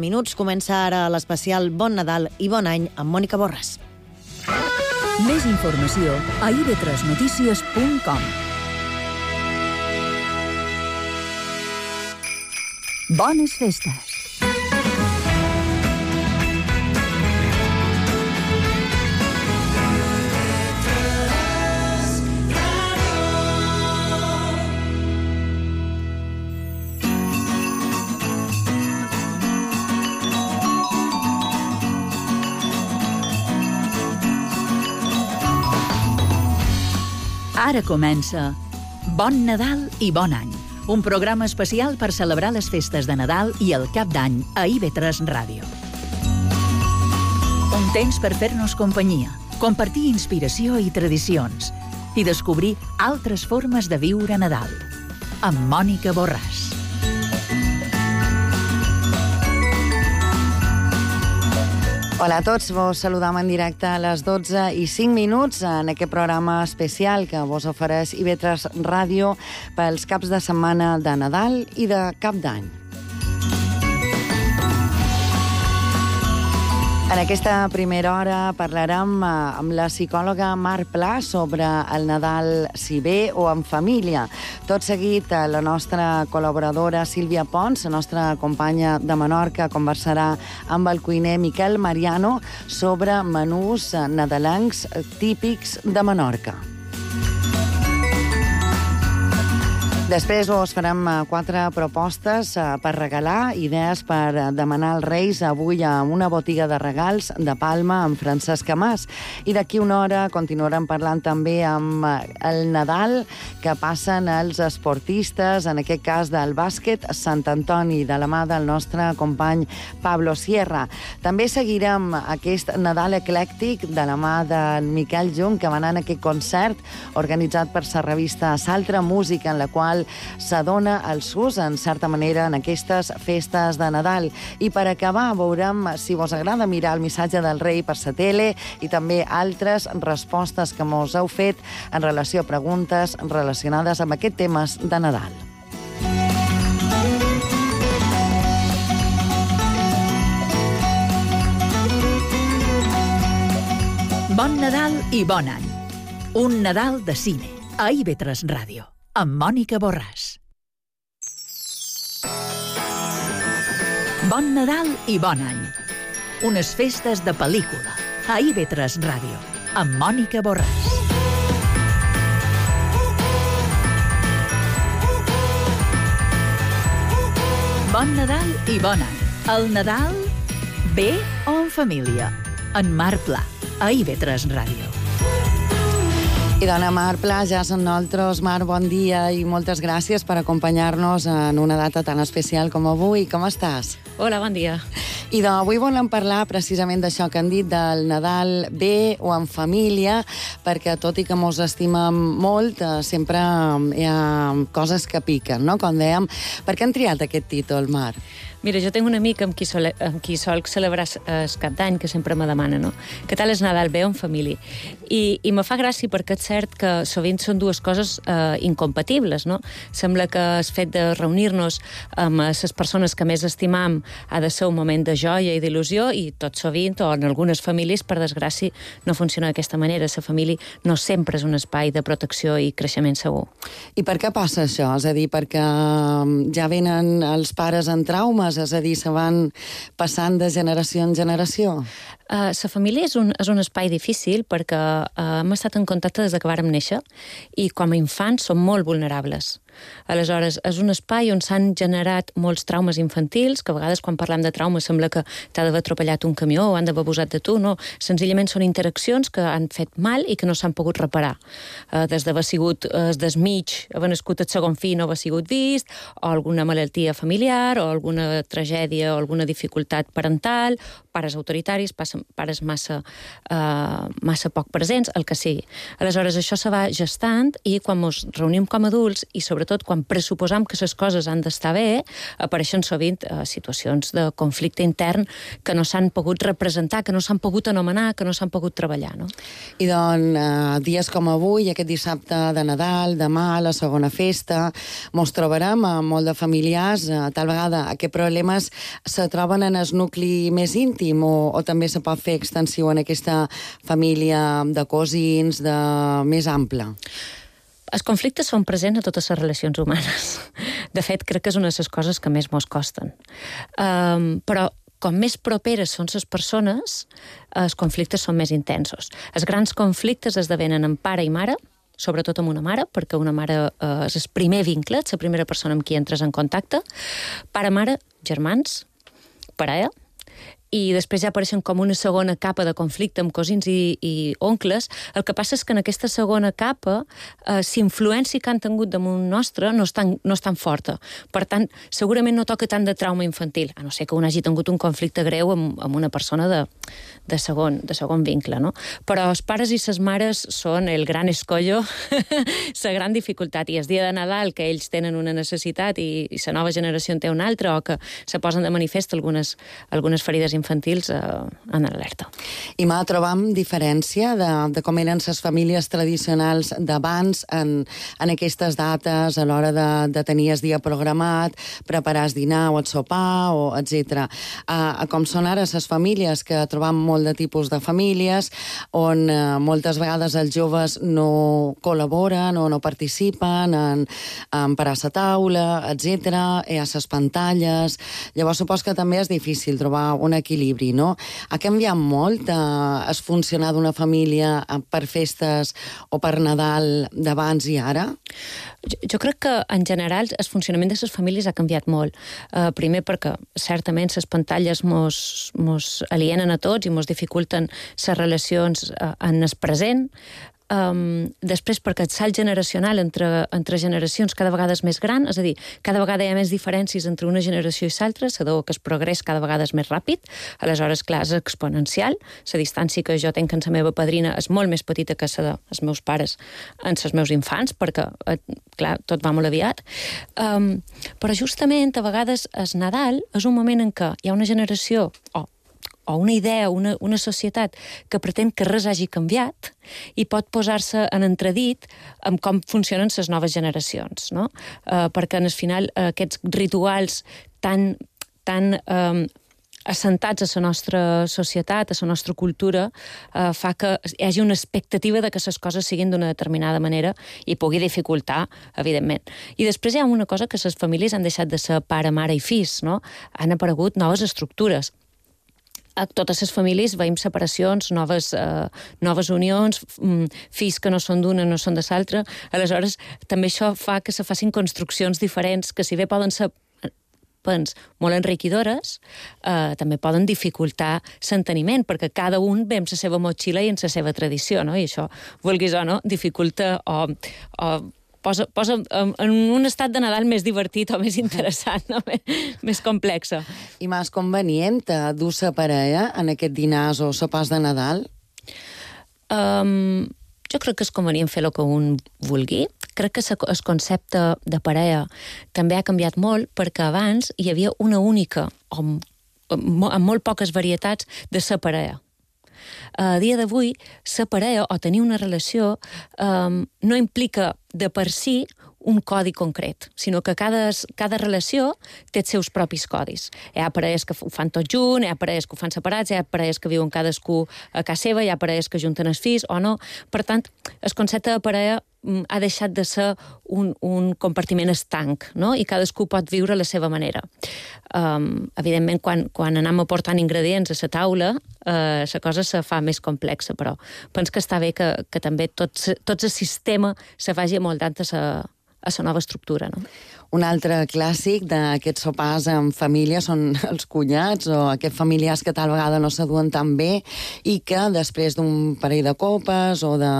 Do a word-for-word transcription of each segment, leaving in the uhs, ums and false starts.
minuts. Comença ara l'especial Bon Nadal i Bon Any amb Mònica Borràs. Més informació a i ve tres notícies punt com. Bones festes! Ara comença Bon Nadal i Bon Any, un programa especial per celebrar les festes de Nadal i el Cap d'Any a i ve tres Ràdio. Un temps per fer-nos companyia, compartir inspiració i tradicions i descobrir altres formes de viure Nadal. Amb Mònica Borràs. Hola a tots, vos saludam en directe a les dotze i cinc minuts en aquest programa especial que vos ofereix i ve tres Ràdio pels caps de setmana de Nadal i de Cap d'Any. En aquesta primera hora parlarem amb la psicòloga Mar Pla sobre el Nadal si bé o en família. Tot seguit, la nostra col·laboradora Sílvia Pons, la nostra companya de Menorca, conversarà amb el cuiner Miquel Mariano sobre menús nadalencs típics de Menorca. Després us farem quatre propostes per regalar, idees per demanar als Reis avui a una botiga de regals de Palma amb Francesc Amàs. I d'aquí una hora continuarem parlant també amb el Nadal que passen els esportistes, en aquest cas del bàsquet Sant Antoni, de la mà del nostre company Pablo Sierra. També seguirem aquest Nadal eclèctic de la mà de Miquel Jung, que va anar en aquest concert organitzat per la revista Saltra Música, en la qual s'adona el sus, en certa manera, en aquestes festes de Nadal. I per acabar, veurem si vos agrada mirar el missatge del rei per la tele i també altres respostes que mos heu fet en relació a preguntes relacionades amb aquests temes de Nadal. Bon Nadal i Bon Any. Un Nadal de cine a i ve tres Ràdio. Amb Mònica Borràs. Bon Nadal i Bon Any. Unes festes de pel·lícula a i ve tres Ràdio. Amb Mònica Borràs. Bon Nadal i Bon Any. El Nadal bé o en família? En Mar Pla, a i ve tres Ràdio. I dona Mar Pla, ja són nosaltres. Mar, bon dia i moltes gràcies per acompanyar-nos en una data tan especial com avui. Com estàs? Hola, bon dia. I avui volem parlar precisament d'això que han dit, del Nadal bé o en família, perquè tot i que mos estimem molt, sempre hi ha coses que piquen, no? Com dèiem, per què han triat aquest títol, Mar? Mira, jo tinc un amic amb qui, sol, amb qui sol celebrar el Cap d'Any, que sempre me demana, no? Què tal és Nadal bé o en família? I, i me fa gràcia perquè és cert que sovint són dues coses eh, incompatibles, no? Sembla que el fet de reunir-nos amb les persones que més estimam ha de ser un moment de joia i d'il·lusió, i tot sovint, o en algunes famílies, per desgràcia, no funciona d'aquesta manera. La família no sempre és un espai de protecció i creixement segur. I per què passa això? És a dir, perquè ja venen els pares en traumes, és a dir, se van passant de generació en generació? La uh, família és un, és un espai difícil perquè uh, hem estat en contacte des que vàrem néixer i com a infants som molt vulnerables. Aleshores, és un espai on s'han generat molts traumes infantils, que a vegades quan parlem de traumes sembla que t'ha d'haver atropellat un camió o han d'haver abusat de tu, no. Senzillament són interaccions que han fet mal i que no s'han pogut reparar. Uh, des d'haver sigut uh, desmig, haver nascut el segon fill no haver sigut vist, o alguna malaltia familiar, o alguna tragèdia o alguna dificultat parental, pares autoritaris, pares massa, uh, massa poc presents, el que sigui. Aleshores, això se va gestant i quan ens reunim com a adults i sobretot quan pressuposam que les coses han d'estar bé, apareixen sovint uh, situacions situacions de conflicte intern que no s'han pogut representar, que no s'han pogut anomenar, que no s'han pogut treballar, no? I doncs, eh, dies com avui, aquest dissabte de Nadal, demà, la segona festa, mos trobarem amb molt de familiars, eh, tal vegada aquests problemes se troben en el nucli més íntim o, o també se pot fer extensiu en aquesta família de cosins, de més ampla? Els conflictes són presents a totes les relacions humanes. De fet, crec que és una de les coses que més mos costen. Um, però com més properes són les persones, els conflictes són més intensos. Els grans conflictes esdevenen en pare i mare, sobretot amb una mare, perquè una mare eh, és el primer vincle, és la primera persona amb qui entres en contacte. Pare-mare, germans, parella, i després ja apareixen com una segona capa de conflicte amb cosins i, i oncles. El que passa és que en aquesta segona capa, eh, si influència que han tingut damunt nostre no és, tan, no és tan forta. Per tant, segurament no toca tant de trauma infantil, a no ser que un hagi tingut un conflicte greu amb, amb una persona de, de, segon, de segon vincle, no? Però els pares i les mares són el gran escollo, la gran dificultat, i el dia de Nadal que ells tenen una necessitat i, i la nova generació en té una altra, o que se posen de manifest algunes, algunes ferides infantils eh, en alerta. I m'ha trobam diferència de, de com eren les famílies tradicionals d'abans en, en aquestes dates, a l'hora de, de tenir el dia programat, preparar el dinar o el sopar, o etcètera. A, a com són ara les famílies, que trobam molt de tipus de famílies, on eh, moltes vegades els joves no col·laboren o no participen en, en parar la taula, etcètera. Hi ha les pantalles. Llavors, supos que també és difícil trobar un equilibri, no? Ha canviat molt eh, es funcionar d'una família per festes o per Nadal d'abans i ara? Jo, jo crec que, en general, el funcionament de les famílies ha canviat molt. Uh, primer perquè, certament, les pantalles mos, mos alienen a tots i mos dificulten les relacions uh, en el present. Um, després, perquè el salt generacional entre, entre generacions cada vegada és més gran, és a dir, cada vegada hi ha més diferències entre una generació i l'altra, sabeu que el progrés cada vegada és més ràpid, aleshores, clar, és exponencial, la distància que jo tenc amb la meva padrina és molt més petita que la dels meus pares amb els meus infants, perquè, clar, tot va molt aviat. Um, però justament, a vegades, el Nadal és un moment en què hi ha una generació, o o una idea, una, una societat que pretén que res hagi canviat i pot posar-se en entredit amb com funcionen les noves generacions, no? Uh, perquè, al final, uh, aquests rituals tan, tan um, assentats a la nostra societat, a la nostra cultura, uh, fa que hi hagi una expectativa de que les coses siguin d'una determinada manera i pugui dificultar, evidentment. I després hi ha una cosa, que les famílies han deixat de ser pare, mare i fills, no? Han aparegut noves estructures. A totes les famílies veiem separacions, noves, eh, noves unions, fills que no són d'una, no són de l'altra. Aleshores, també això fa que se facin construccions diferents, que si bé poden ser pens, molt enriquidores, eh, també poden dificultar l'enteniment, perquè cada un ve amb la seva motxilla i amb la seva tradició, no? I això, vulguis o no, dificulta o... o Posa, posa en un estat de Nadal més divertit o més interessant, no? Més complexa. I més convenient dur la parella en aquest dinars o sopars de Nadal? Um, jo crec que és convenient fer el que un vulgui. Crec que el concepte de parella també ha canviat molt, perquè abans hi havia una única, o amb molt poques varietats, de ser parella. A dia d'avui, ser parella o tenir una relació um, no implica de per si un codi concret, sinó que cada, cada relació té els seus propis codis. Hi ha parelles que ho fan tot junt, hi ha parelles que ho fan separats, hi ha parelles que viuen cadascú a casa seva, hi ha parelles que junten els fills o no. Per tant, el concepte de parella ha deixat de ser un, un compartiment estanc, no? I cadascú pot viure a la seva manera. Um, evidentment, quan, quan anem aportant ingredients a la taula, uh, la cosa se fa més complexa, però penso que està bé que, que també tot, tot el sistema se faci amoldant a la a la nova estructura, no? Un altre clàssic d'aquests sopars en família són els cunyats o aquests familiars que tal vegada no s'aduen tan bé i que després d'un parell de copes o de,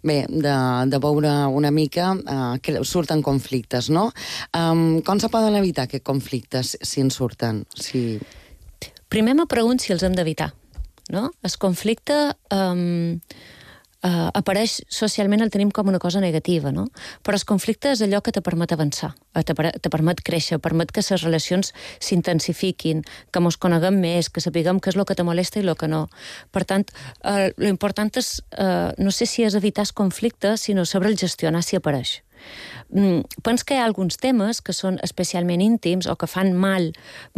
bé, de, de beure una mica eh, surten conflictes, no? Um, com se poden evitar aquests conflictes si en surten? Si... Primer me pregunto si els hem d'evitar, no? El conflicte... Um... uh, apareix socialment, el tenim com una cosa negativa, no? Però el conflicte és allò que te permet avançar, te, te permet créixer, permet que les relacions s'intensifiquin, que mos coneguem més, que sapiguem què és el que te molesta i el que no. Per tant, uh, l'important és, uh, no sé si és evitar el conflicte, sinó saber el gestionar si apareix. Mm, penso que hi ha alguns temes que són especialment íntims o que fan mal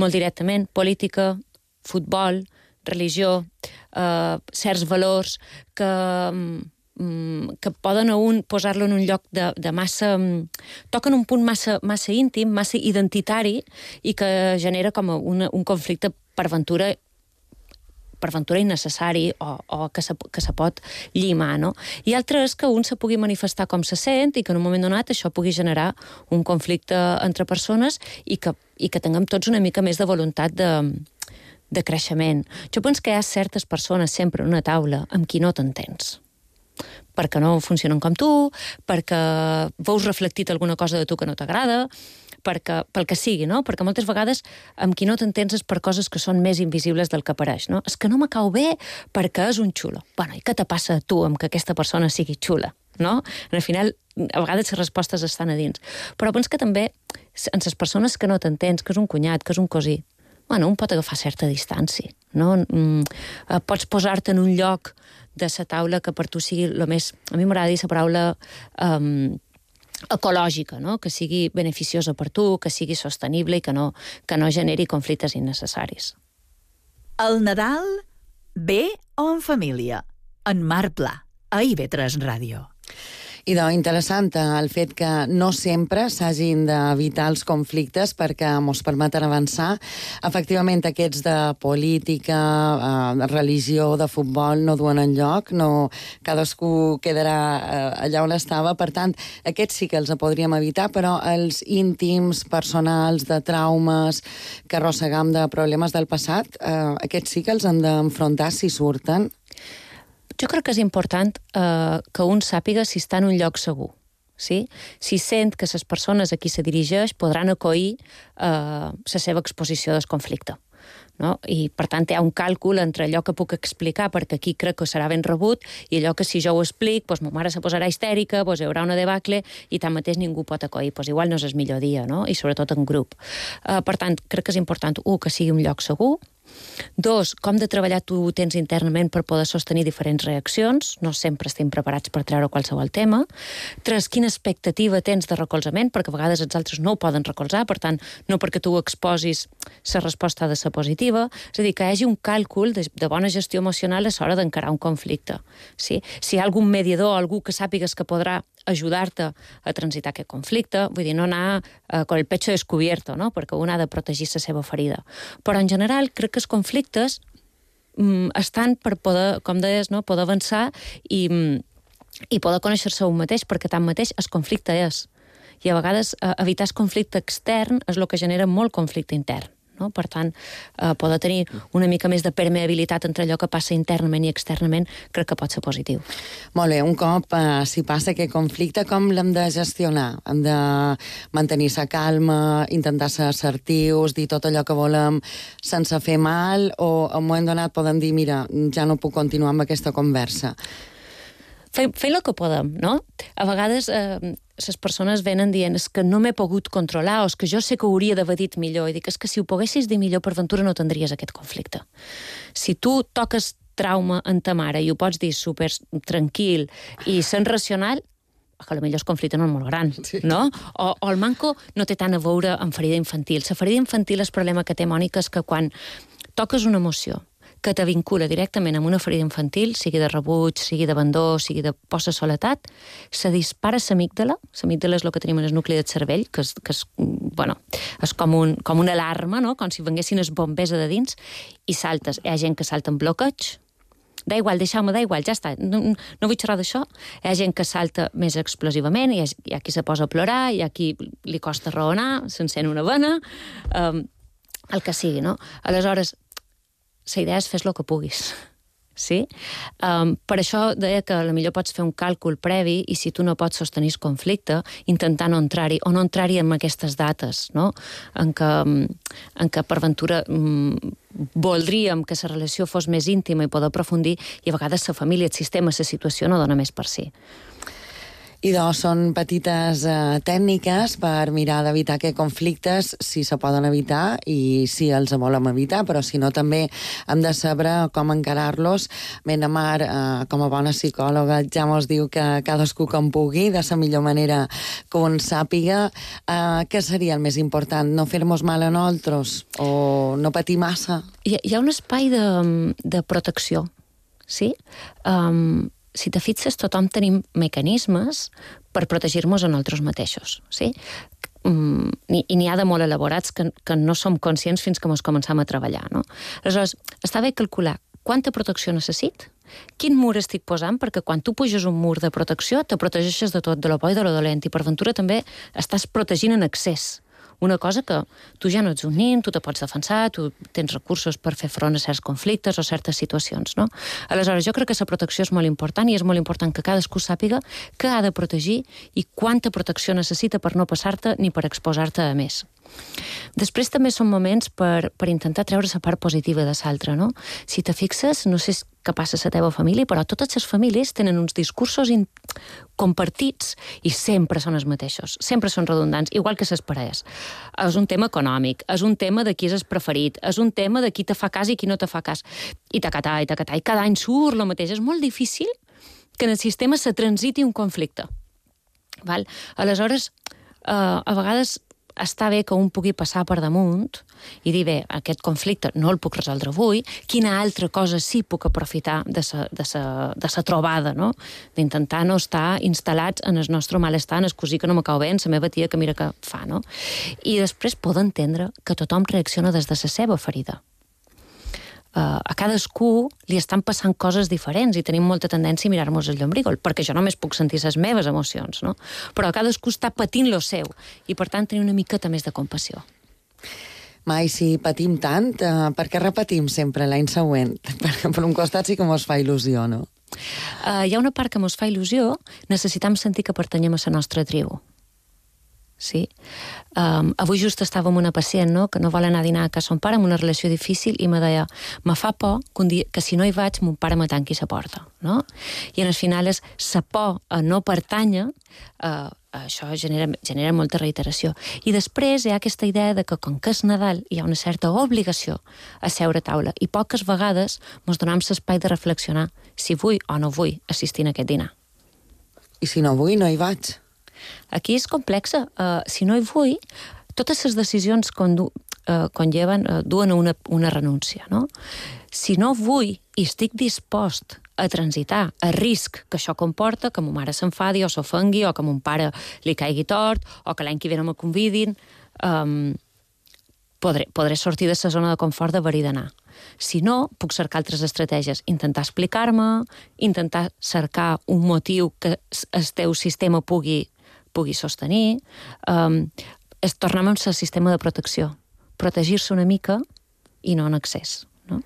molt directament, política, futbol, religió, eh, certs valors que, mm, que poden a un posar-lo en un lloc de, de massa... toquen un punt massa, massa íntim, massa identitari i que genera com una, un conflicte per ventura per ventura innecessari o, o que, se, que se pot llimar, no? I altre és que un se pugui manifestar com se sent i que en un moment donat això pugui generar un conflicte entre persones i que, i que tinguem tots una mica més de voluntat de, de creixement. Jo penso que hi ha certes persones sempre en una taula amb qui no t'entens, perquè no funcionen com tu, perquè veus reflectit alguna cosa de tu que no t'agrada, perquè, pel que sigui, no? Perquè moltes vegades amb qui no t'entens és per coses que són més invisibles del que apareix, no? És que no me cau bé perquè és un xulo. Bueno, i què te passa a tu amb que aquesta persona sigui xula, no? Al final, a vegades les respostes estan a dins. Però penso que també, en les persones que no t'entens, que és un cunyat, que és un cosí, bueno, un pot agafar certa distància, no? Mm, pots posar-te en un lloc de la taula que per tu sigui el més... A mi m'agrada dir la paraula um, ecològica, no? Que sigui beneficiosa per tu, que sigui sostenible i que no, que no generi conflictes innecessaris. El Nadal, bé o en família? En Marc Pla, a I V tres Ràdio. I doncs, interessant el fet que no sempre s'hagin d'evitar els conflictes perquè ens permeten avançar. Efectivament, aquests de política, eh, religió, de futbol, no duen enlloc, no, cadascú quedarà eh, allà on estava. Per tant, aquests sí que els podríem evitar, però els íntims, personals, de traumes, que arrossegam de problemes del passat, eh, aquests sí que els hem d'enfrontar si surten. Jo crec que és important eh, que un sàpiga si està en un lloc segur. Sí? Si sent que les persones a qui se dirigeix podran acollir eh, la seva exposició del conflicte. No? I, per tant, hi ha un càlcul entre allò que puc explicar, perquè aquí crec que serà ben rebut, i allò que si jo ho explic, doncs ma mare se posarà histèrica, doncs hi haurà una debacle, i tanmateix ningú pot acollir. Doncs igual no és el millor dia, no? I sobretot en grup. Eh, per tant, crec que és important, un, que sigui un lloc segur. Dos, com de treballar tu tens internament per poder sostenir diferents reaccions, no sempre estem preparats per treure qualsevol tema. Tres, quina expectativa tens de recolzament, perquè a vegades els altres no ho poden recolzar, per tant, no perquè tu ho exposis, la resposta ha de ser positiva. És a dir, que hi hagi un càlcul de, de bona gestió emocional a l'hora d'encarar un conflicte. Sí? Si hi ha algun mediador, algú que sàpigues que podrà ajudar-te a transitar aquest conflicte, vull dir, no anar eh, con el pecho descubierto, no? Perquè un ha de protegir la seva ferida. Però en general crec que els conflictes mm, estan per poder, com deies, no? Poder avançar i, i poder conèixer-se un mateix, perquè tanmateix el conflicte és. I a vegades eh, evitar el conflicte extern és el que genera molt conflicte intern. No? Per tant, eh, poder tenir una mica més de permeabilitat entre allò que passa internament i externament crec que pot ser positiu. Molt bé, un cop eh, si passa aquest conflicte, com l'hem de gestionar? Hem de mantenir-se calma, intentar ser assertius, dir tot allò que volem sense fer mal, o en un moment donat podem dir, mira, ja no puc continuar amb aquesta conversa? Fem, fem el que podem, no? A vegades eh, les persones venen dient és que no m'he pogut controlar o és que jo sé que ho hauria d'haver dit millor. I dic, és que si ho poguessis dir millor, per ventura no tindries aquest conflicte. Si tu toques trauma en ta mare i ho pots dir super tranquil i sent racional, que potser el conflicte no és molt gran, sí. No? O, o el manco no té tant a veure amb ferida infantil. La ferida infantil, el problema que té, Mònica, és que quan toques una emoció que te vincula directament amb una ferida infantil, sigui de rebuig, sigui d'abandó, sigui de posa soledat, se dispara l'amígdala. L'amígdala és el que tenim en el nucli del cervell, que és, que és, bueno, és com, un, com una alarma, no? Com si venguessin els bombers de dins, i saltes. Hi ha gent que salta en bloqueig, da igual, deixeu-me, da igual, ja està, no, no vull xerrar d'això. Hi ha gent que salta més explosivament, hi ha, hi ha qui se posa a plorar, hi ha qui li costa raonar, s'encén una vena, um, el que sigui, no? Aleshores, la idea és fes el que puguis. Sí? Um, per això deia que potser pots fer un càlcul previ i si tu no pots sostenir el conflicte, intentar no entrar-hi, o no entrar-hi en aquestes dates, no? En què, en què per ventura um, voldríem que la relació fos més íntima i poder aprofundir, i a vegades la família, el sistema, la situació no dona més per si. I doncs són petites eh, tècniques per mirar d'evitar que conflictes, si se poden evitar i si els volem evitar, però si no també hem de saber com encarar-los. Bé, na Mar, eh, com a bona psicòloga, ja mos diu que cadascú com pugui, de la millor manera que un sàpiga. Eh, què seria el més important? No fer-nos mal a nosaltres o no patir massa? Hi ha, hi ha un espai de, de protecció, sí? Um, si te fixes, tothom tenim mecanismes per protegir-nos a nosaltres mateixos, sí? Mm, i n'hi ha de molt elaborats que, que no som conscients fins que ens començam a treballar, no? Aleshores, està bé calcular quanta protecció necessit, quin mur estic posant, perquè quan tu puges un mur de protecció te protegeixes de tot, de lo bo i de lo dolent, i per ventura també estàs protegint en excés. Una cosa que tu ja no ets un nin, tu te pots defensar, tu tens recursos per fer front a certs conflictes o certes situacions, no? Aleshores, jo crec que la protecció és molt important i és molt important que cadascú sàpiga què ha de protegir i quanta protecció necessita per no passar-te ni per exposar-te a més. Després també són moments per, per intentar treure la part positiva de l'altre, no? Si te fixes, no sé què passa a la teva família, però totes les famílies tenen uns discursos in... compartits i sempre són els mateixos, sempre són redundants, igual que les parelles. És un tema econòmic, és un tema de qui és el preferit, és un tema de qui te fa cas i qui no te fa cas, i tacatà, i tacatà, i cada any surt el mateix. És molt difícil que en el sistema se transiti un conflicte. Val? Aleshores, eh, a vegades està bé que un pugui passar per damunt i dir, bé, aquest conflicte no el puc resoldre avui, quina altra cosa sí puc aprofitar de sa, de sa, de sa trobada, no? D'intentar no estar instal·lats en el nostre malestar, en el cosí que no m'acau bé, en la meva tia que mira que fa, no? I després poder entendre que tothom reacciona des de la seva ferida. Uh, a cadascú li estan passant coses diferents i tenim molta tendència a mirar-nos el llombrígol, perquè jo només puc sentir les meves emocions, no? Però cadascú està patint lo seu i, per tant, tenir una miqueta més de compassió. Mai, si patim tant, uh, per què repetim sempre l'any següent? Perquè per un costat sí que mos fa il·lusió, no? Uh, hi ha una part que mos fa il·lusió, necessitam sentir que pertanyem a la nostra tribu. Sí. Um, avui just estava amb una pacient, no?, que no vol anar a dinar a casa son pare, amb una relació difícil, i me deia, me fa por que, un dia, que si no hi vaig, mon pare me tanqui la porta, no? I en el final és la por a no pertànyer, uh, això genera, genera molta reiteració. I després hi ha aquesta idea de que, com que és Nadal, hi ha una certa obligació a seure a taula, i poques vegades ens donem l'espai de reflexionar si vull o no vull assistir a aquest dinar. I si no vull, no hi vaig. Aquí és complexa. Uh, si no hi vull, totes les decisions condu uh, conlleven, uh, duen a una, una renúncia, no? Si no vull i estic dispost a transitar a risc que això comporta, que ma mare s'enfadi o s'ofengui, o que mon pare li caigui tort, o que l'any que ve no me convidin, um, podré, podré sortir de la zona de confort d'haver-hi d'anar. Si no, puc cercar altres estratègies. Intentar explicar-me, intentar cercar un motiu que el teu sistema pugui pugui sostenir, um, és tornar al sistema de protecció. Protegir-se una mica i no en excés, no?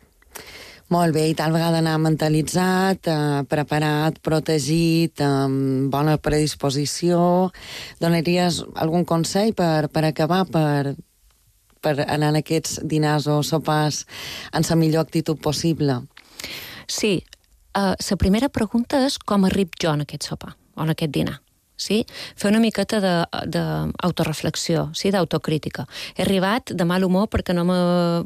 Molt bé, i tal vegada anar mentalitzat, eh, preparat, protegit, amb bona predisposició. Donaries algun consell per, per acabar, per, per anar en aquests dinars o sopars en la millor actitud possible? Sí. Uh, la primera pregunta és com arrib jo en aquest sopar o en aquest dinar. Sí? Fer una miqueta d'autoreflexió, sí? D'autocrítica. He arribat de mal humor perquè, no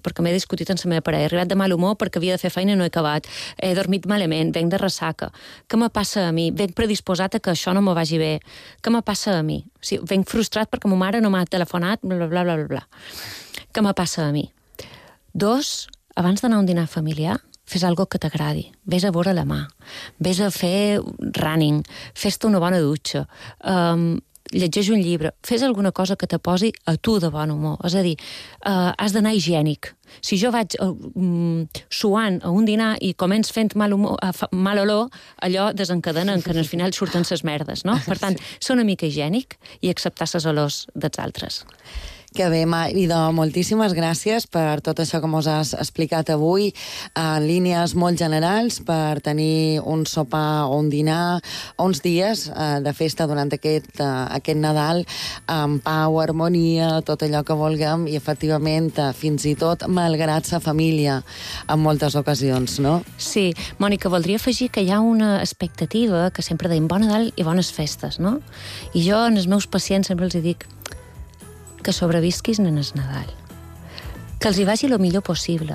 perquè m'he discutit amb la meva parella, he arribat de mal humor perquè havia de fer feina i no he acabat, he dormit malament, venc de ressaca. Què me passa a mi? Venc predisposat a que això no me vagi bé. Què me passa a mi? Sí, venc frustrat perquè ma mare no m'ha telefonat, bla, bla, bla, bla, bla. Què me passa a mi? Dos, abans d'anar a un dinar familiar, fes algo que t'agradi, vés a veure la mà, vés a fer running, fes-te una bona dutxa, um, llegeix un llibre, fes alguna cosa que te posi a tu de bon humor. És a dir, uh, has d'anar higiènic. Si jo vaig uh, um, suant a un dinar i començ fent mal, humor, uh, mal olor, allò desencadena que al final surten ses merdes, no? Per tant, ser una mica higiènic i acceptar ses olors dels altres. Que bé, Maida, moltíssimes gràcies per tot això que mos has explicat avui, en línies molt generals, per tenir un sopar o un dinar, uns dies eh, de festa durant aquest, eh, aquest Nadal, amb pau, harmonia, tot allò que vulguem, i efectivament, eh, fins i tot malgrat sa família, en moltes ocasions, no? Sí, Mònica, voldria afegir que hi ha una expectativa que sempre deim bon Nadal i bones festes, no? I jo, als meus pacients, sempre els dic que sobrevisquis en el Nadal, que els hi vagi el millor possible,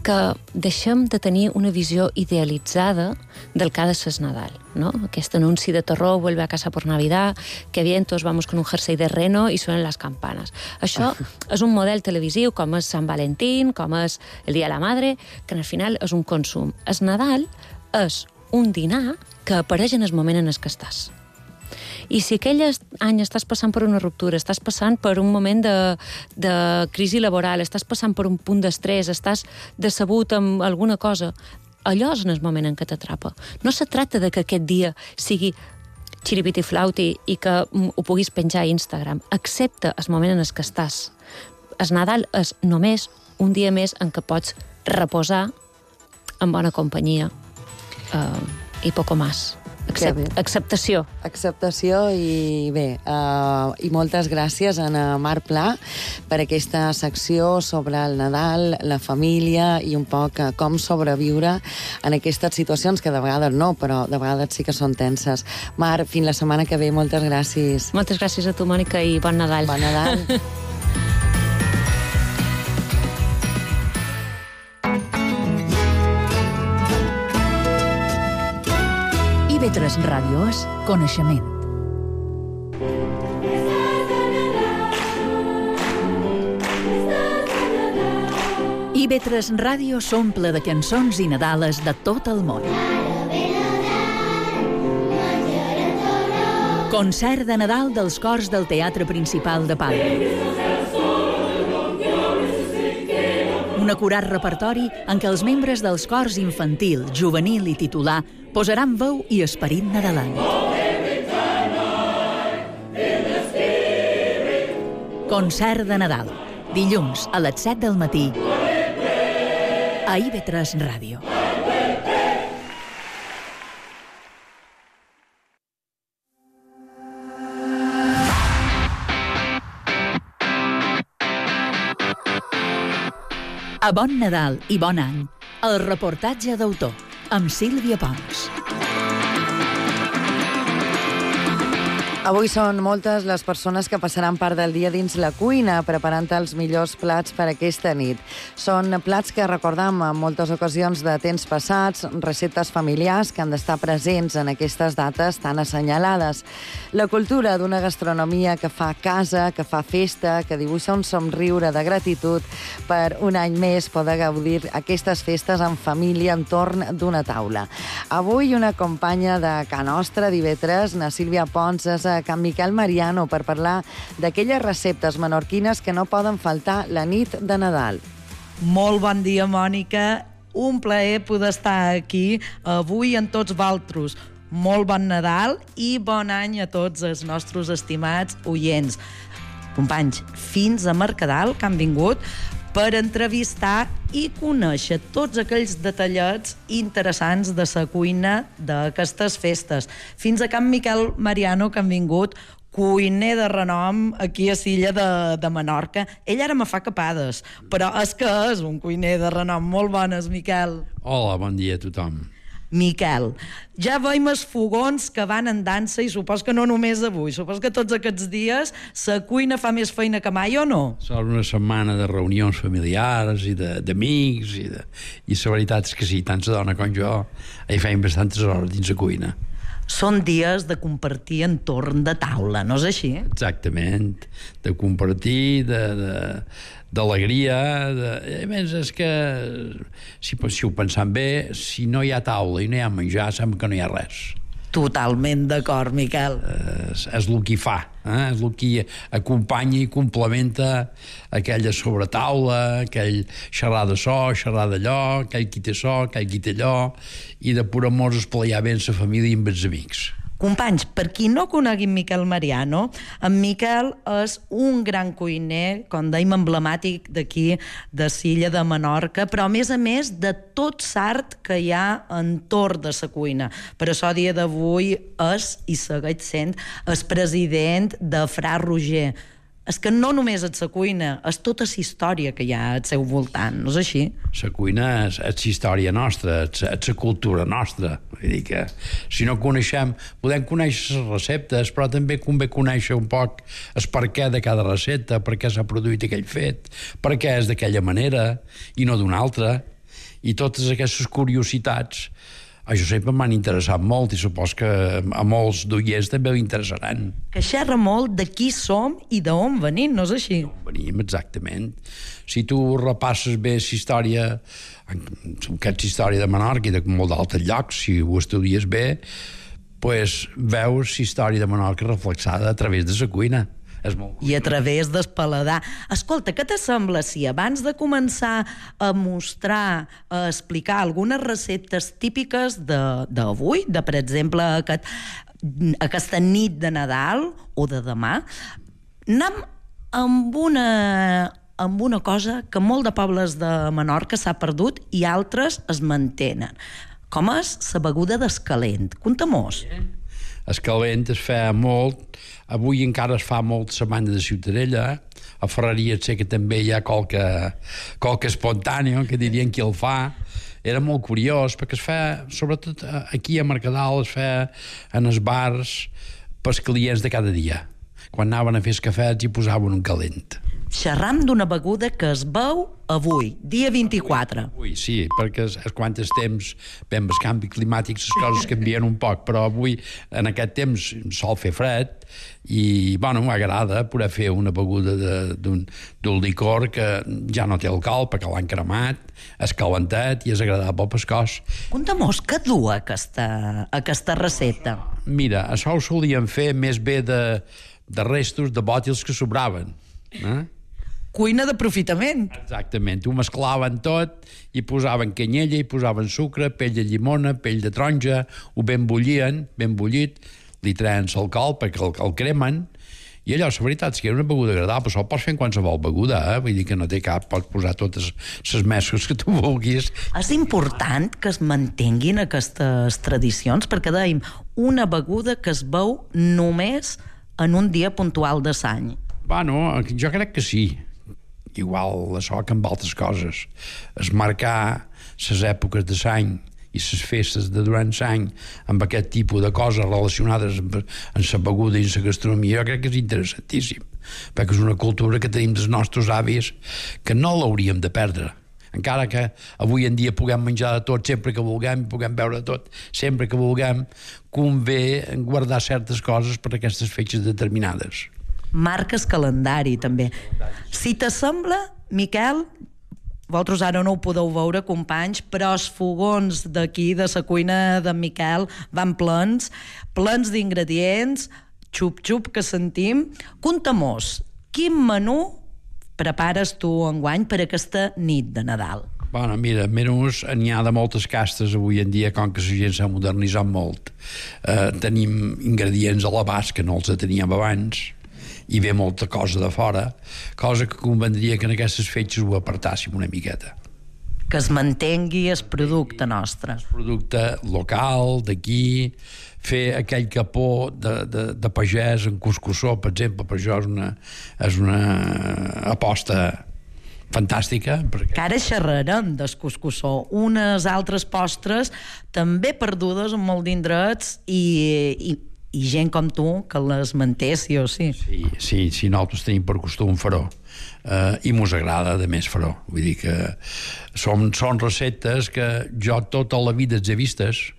que deixem de tenir una visió idealitzada del que ha de ser el Nadal, ¿no? Aquest anunci de terror, vuelve a casa por Navidad, que bien, todos vamos con un jersey de reno i suenen les campanes. Això és un model televisiu, com és Sant Valentín, com és el Dia de la Madre, que al final és un consum. El Nadal és un dinar que apareix en el moment en el que estàs. I si aquell any estàs passant per una ruptura, estàs passant per un moment de, de crisi laboral, estàs passant per un punt d'estrès, estàs decebut amb alguna cosa, allò és en el moment en què t'atrapa. No se tracta de que aquest dia sigui xiripiti-flauti i que ho puguis penjar a Instagram. Accepta el moment en el que estàs. El Nadal és només un dia més en què pots reposar en bona companyia eh, i poco más. Accept, acceptació. Acceptació i bé, uh, i moltes gràcies a Mar Pla per aquesta secció sobre el Nadal, la família i un poc uh, com sobreviure en aquestes situacions que de vegades no, però de vegades sí que són tenses. Mar, fins la setmana que ve, moltes gràcies. Moltes gràcies a tu, Mònica, i bon Nadal. Bon Nadal. I ve tres Ràdio és coneixement. I ve tres Ràdio s'omple de cançons i nadales de tot el món. Concert de Nadal dels cors del Teatre Principal de Palma. Un acurat repertori en què els membres dels cors infantil, juvenil i titular posaran veu i esperit nadalenc. Concert de Nadal, dilluns a les set del matí a I ve tres Ràdio. A Bon Nadal i Bon Any, el reportatge d'autor, amb Sílvia Pons. Avui són moltes les persones que passaran part del dia dins la cuina preparant els millors plats per aquesta nit. Són plats que recordam en moltes ocasions de temps passats, receptes familiars que han d'estar presents en aquestes dates tan assenyalades. La cultura d'una gastronomia que fa casa, que fa festa, que dibuixa un somriure de gratitud per un any més poder gaudir aquestes festes en família entorn d'una taula. Avui una companya de Ca Nostra d'I ve tres, na Sílvia Pons, és a Can Miquel Mariano per parlar d'aquelles receptes menorquines que no poden faltar la nit de Nadal. Molt bon dia, Mònica. Un plaer poder estar aquí avui amb tots vosaltres. Molt bon Nadal i bon any a tots els nostres estimats oients. Companys, fins a Mercadal, que han vingut per entrevistar i conèixer tots aquells detallets interessants de la cuina d'aquestes festes. Fins a Can Miquel Mariano, que han vingut, cuiner de renom aquí a l'illa de, de Menorca. Ell ara me fa capades, però és que és un cuiner de renom. Molt bones, Miquel. Hola, bon dia a tothom. Miquel, ja veiem els fogons que van en dansa i supos que no només avui, supos que tots aquests dies la cuina fa més feina que mai, o no? Són una setmana de reunions familiars i d'amics i, de, i la veritat és que sí, tant la dona com jo hi feim bastantes hores dins la cuina. Són dies de compartir entorn de taula, no és així? Exactament, de compartir, de... de d'alegria, de... a més és que si, si ho pensam bé, si no hi ha taula i no hi ha menjar, sembla que no hi ha res. Totalment d'acord, Miquel. És, és el que fa, eh? És el que acompanya i complementa aquella sobretaula, aquell xerrar de so, xerrar d'allò, aquell qui té so, aquell qui té allò, i de pur amor esplayar bé amb la família i amb els amics. Companys, per qui no conegui Miquel Mariano, en Miquel és un gran cuiner, com dèiem, emblemàtic d'aquí, de Silla de Menorca, però a més a més de tot l'art que hi ha entorn de la cuina. Per això, a dia d'avui, és i segueix sent el president de Fra Roger. És que no només és la cuina, és tota la història que hi ha al seu voltant, no és així? La cuina és, és la història nostra, és, és la cultura nostra. Vull dir que si no coneixem, podem conèixer les receptes, però també convé conèixer un poc el perquè de cada recepta, per què s'ha produït aquell fet, per què és d'aquella manera i no d'una altra. I totes aquestes curiositats això sempre m'han interessat molt i supos que a molts d'oients també l'interessaran. Que xerra molt de qui som i d'on venim, no és així? D'on venim, exactament. Si tu repasses bé la història, aquesta història de Menorca i de molt d'altres llocs, si ho estudies bé, pues veus la història de Menorca reflexada a través de la cuina. És molt... I a través del paladar. Escolta, què t'assembla si abans de començar a mostrar, a explicar algunes receptes típiques d'avui, de, de, per exemple, aquest, aquesta nit de Nadal o de demà, anem amb una, amb una cosa que molt de pobles de Menorca s'ha perdut i altres es mantenen, com és la beguda d'escalent. Conta-mos. Escalent es feia molt, avui encara es fa molt la banda de Ciutadella, a Ferreria sé que també hi ha qualque, qualque espontàneo, que dirien qui el fa. Era molt curiós, perquè es feia, sobretot aquí a Mercadal, es feia en els bars pels clients de cada dia. Quan anaven a fer els cafès hi posaven un calent. Xerram d'una beguda que es beu avui, dia vint-i-quatre. Avui, sí, perquè es, es quant temps, bé, amb el canvi climàtic les coses canvien un poc, però avui, en aquest temps, sol fer fred i, bueno, m'agrada poder fer una beguda d'un licor que ja no té alcohol perquè l'han cremat, és calentat i és agradable pel cos. Conta-mos, què du aquesta, aquesta recepta? Mira, això ho solien fer més bé de, de restos de bòtils que sobraven. Eh? Cuina d'aprofitament. Exactament, ho mesclaven tot i posaven canyella, i posaven sucre, pell de llimona, pell de taronja, ho ben bullien, ben bullit, li treien l'alcohol perquè el, el cremen, i allò, la veritat, és que era una beguda agradable, però pots fer en qualsevol beguda, eh? Vull dir que no té cap, pots posar totes les mescles que tu vulguis. És important que es mantinguin aquestes tradicions, perquè dèiem, una beguda que es beu només en un dia puntual de l'any. Bueno, jo crec que sí. Igual això que amb altres coses. Es marcar les èpoques de l'any i les festes de durant l'any amb aquest tipus de coses relacionades amb, amb la beguda i la gastronomia, jo crec que és interessantíssim, perquè és una cultura que tenim dels nostres avis que no l'hauríem de perdre. Encara que avui en dia puguem menjar de tot sempre que vulguem, puguem beure de tot sempre que vulguem, convé guardar certes coses per a aquestes fetges determinades. Marques calendari, també. Si t'assembla, Miquel, vosaltres ara no ho podeu veure, companys, però els fogons d'aquí, de la cuina d'en Miquel, van plens, plens d'ingredients, xup-xup que sentim. Conta-mos, quin menú prepares tu enguany per aquesta nit de Nadal? Bueno, mira, menús n'hi ha de moltes castes avui en dia, com que la gent s'ha modernitzat molt. Eh, tenim ingredients a l'abast que no els teníem abans, i ve molta cosa de fora, cosa que convendria que en aquestes fetges ho apartàssim una miqueta. Que es mantengui el producte nostre. El producte local, d'aquí, fer aquell capó de, de, de pagès en cuscussó, per exemple, per això és una, és una aposta fantàstica. Perquè... Que ara xerrarem del cuscussó. Unes altres postres també perdudes en molt d'indrets i, i, i gent com tu que les manté, sí o sí. Sí, sí, sí, nosaltres tenim per costum fer-ho. Uh, i mos agrada, de més, fer-ho. Vull dir que són, són receptes que jo tota la vida els he vistes.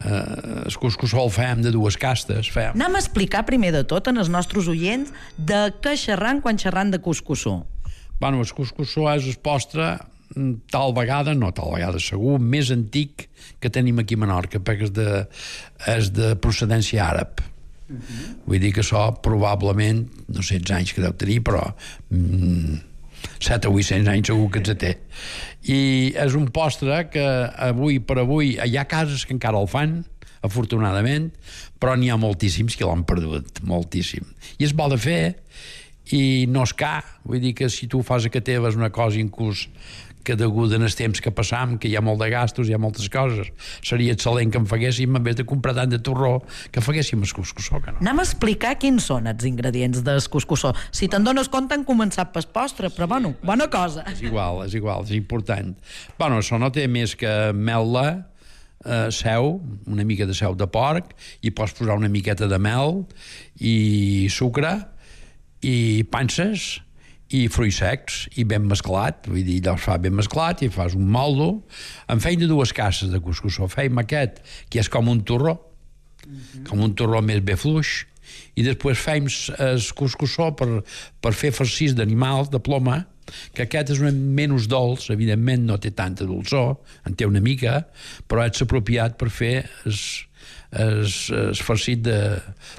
Uh, el cuscussó el fem de dues castes. Fem. Anem a explicar primer de tot en els nostres oients de què xerran quan xerran de cuscussó. Bueno, el cuscussó és el postre tal vegada, no tal vegada segur, més antic que tenim aquí a Menorca, perquè és de, és de procedència àrab. Uh-huh. Vull dir que això probablement, no sé els anys que deu tenir, però mm, set o vuit-cents anys segur que ens té. I és un postre que avui per avui hi ha cases que encara el fan, afortunadament, però n'hi ha moltíssims que l'han perdut, moltíssim. I és bo de fer, i no és car, vull dir que si tu fas a que teva és una cosa inclús que degut en els temps que passam, que hi ha molt de gastos, hi ha moltes coses, seria excel·lent que en faguéssim, en vez de comprar tant de torró, que faguéssim el cuscussó, que no. Anem a explicar quins són els ingredients del cuscussó. Si te'n dones compte, han començat pel postre, però bueno, bona cosa. És igual, és igual, és important. Bueno, això no té més que mel·la, eh, seu, una mica de seu de porc, i pots posar una miqueta de mel, i sucre, i panses, i fruits secs, i ben mesclat, vull dir, allò es fa ben mesclat, i fas un moldo. En feim de dues casses de cuscussó. Feim aquest, que és com un torró, mm-hmm. com un torró més bé fluix, i després feim el cuscussó per, per fer farcís d'animals, de ploma, que aquest és una menys dolç, evidentment no té tanta dolçor, en té una mica, però és apropiat per fer el farcit de,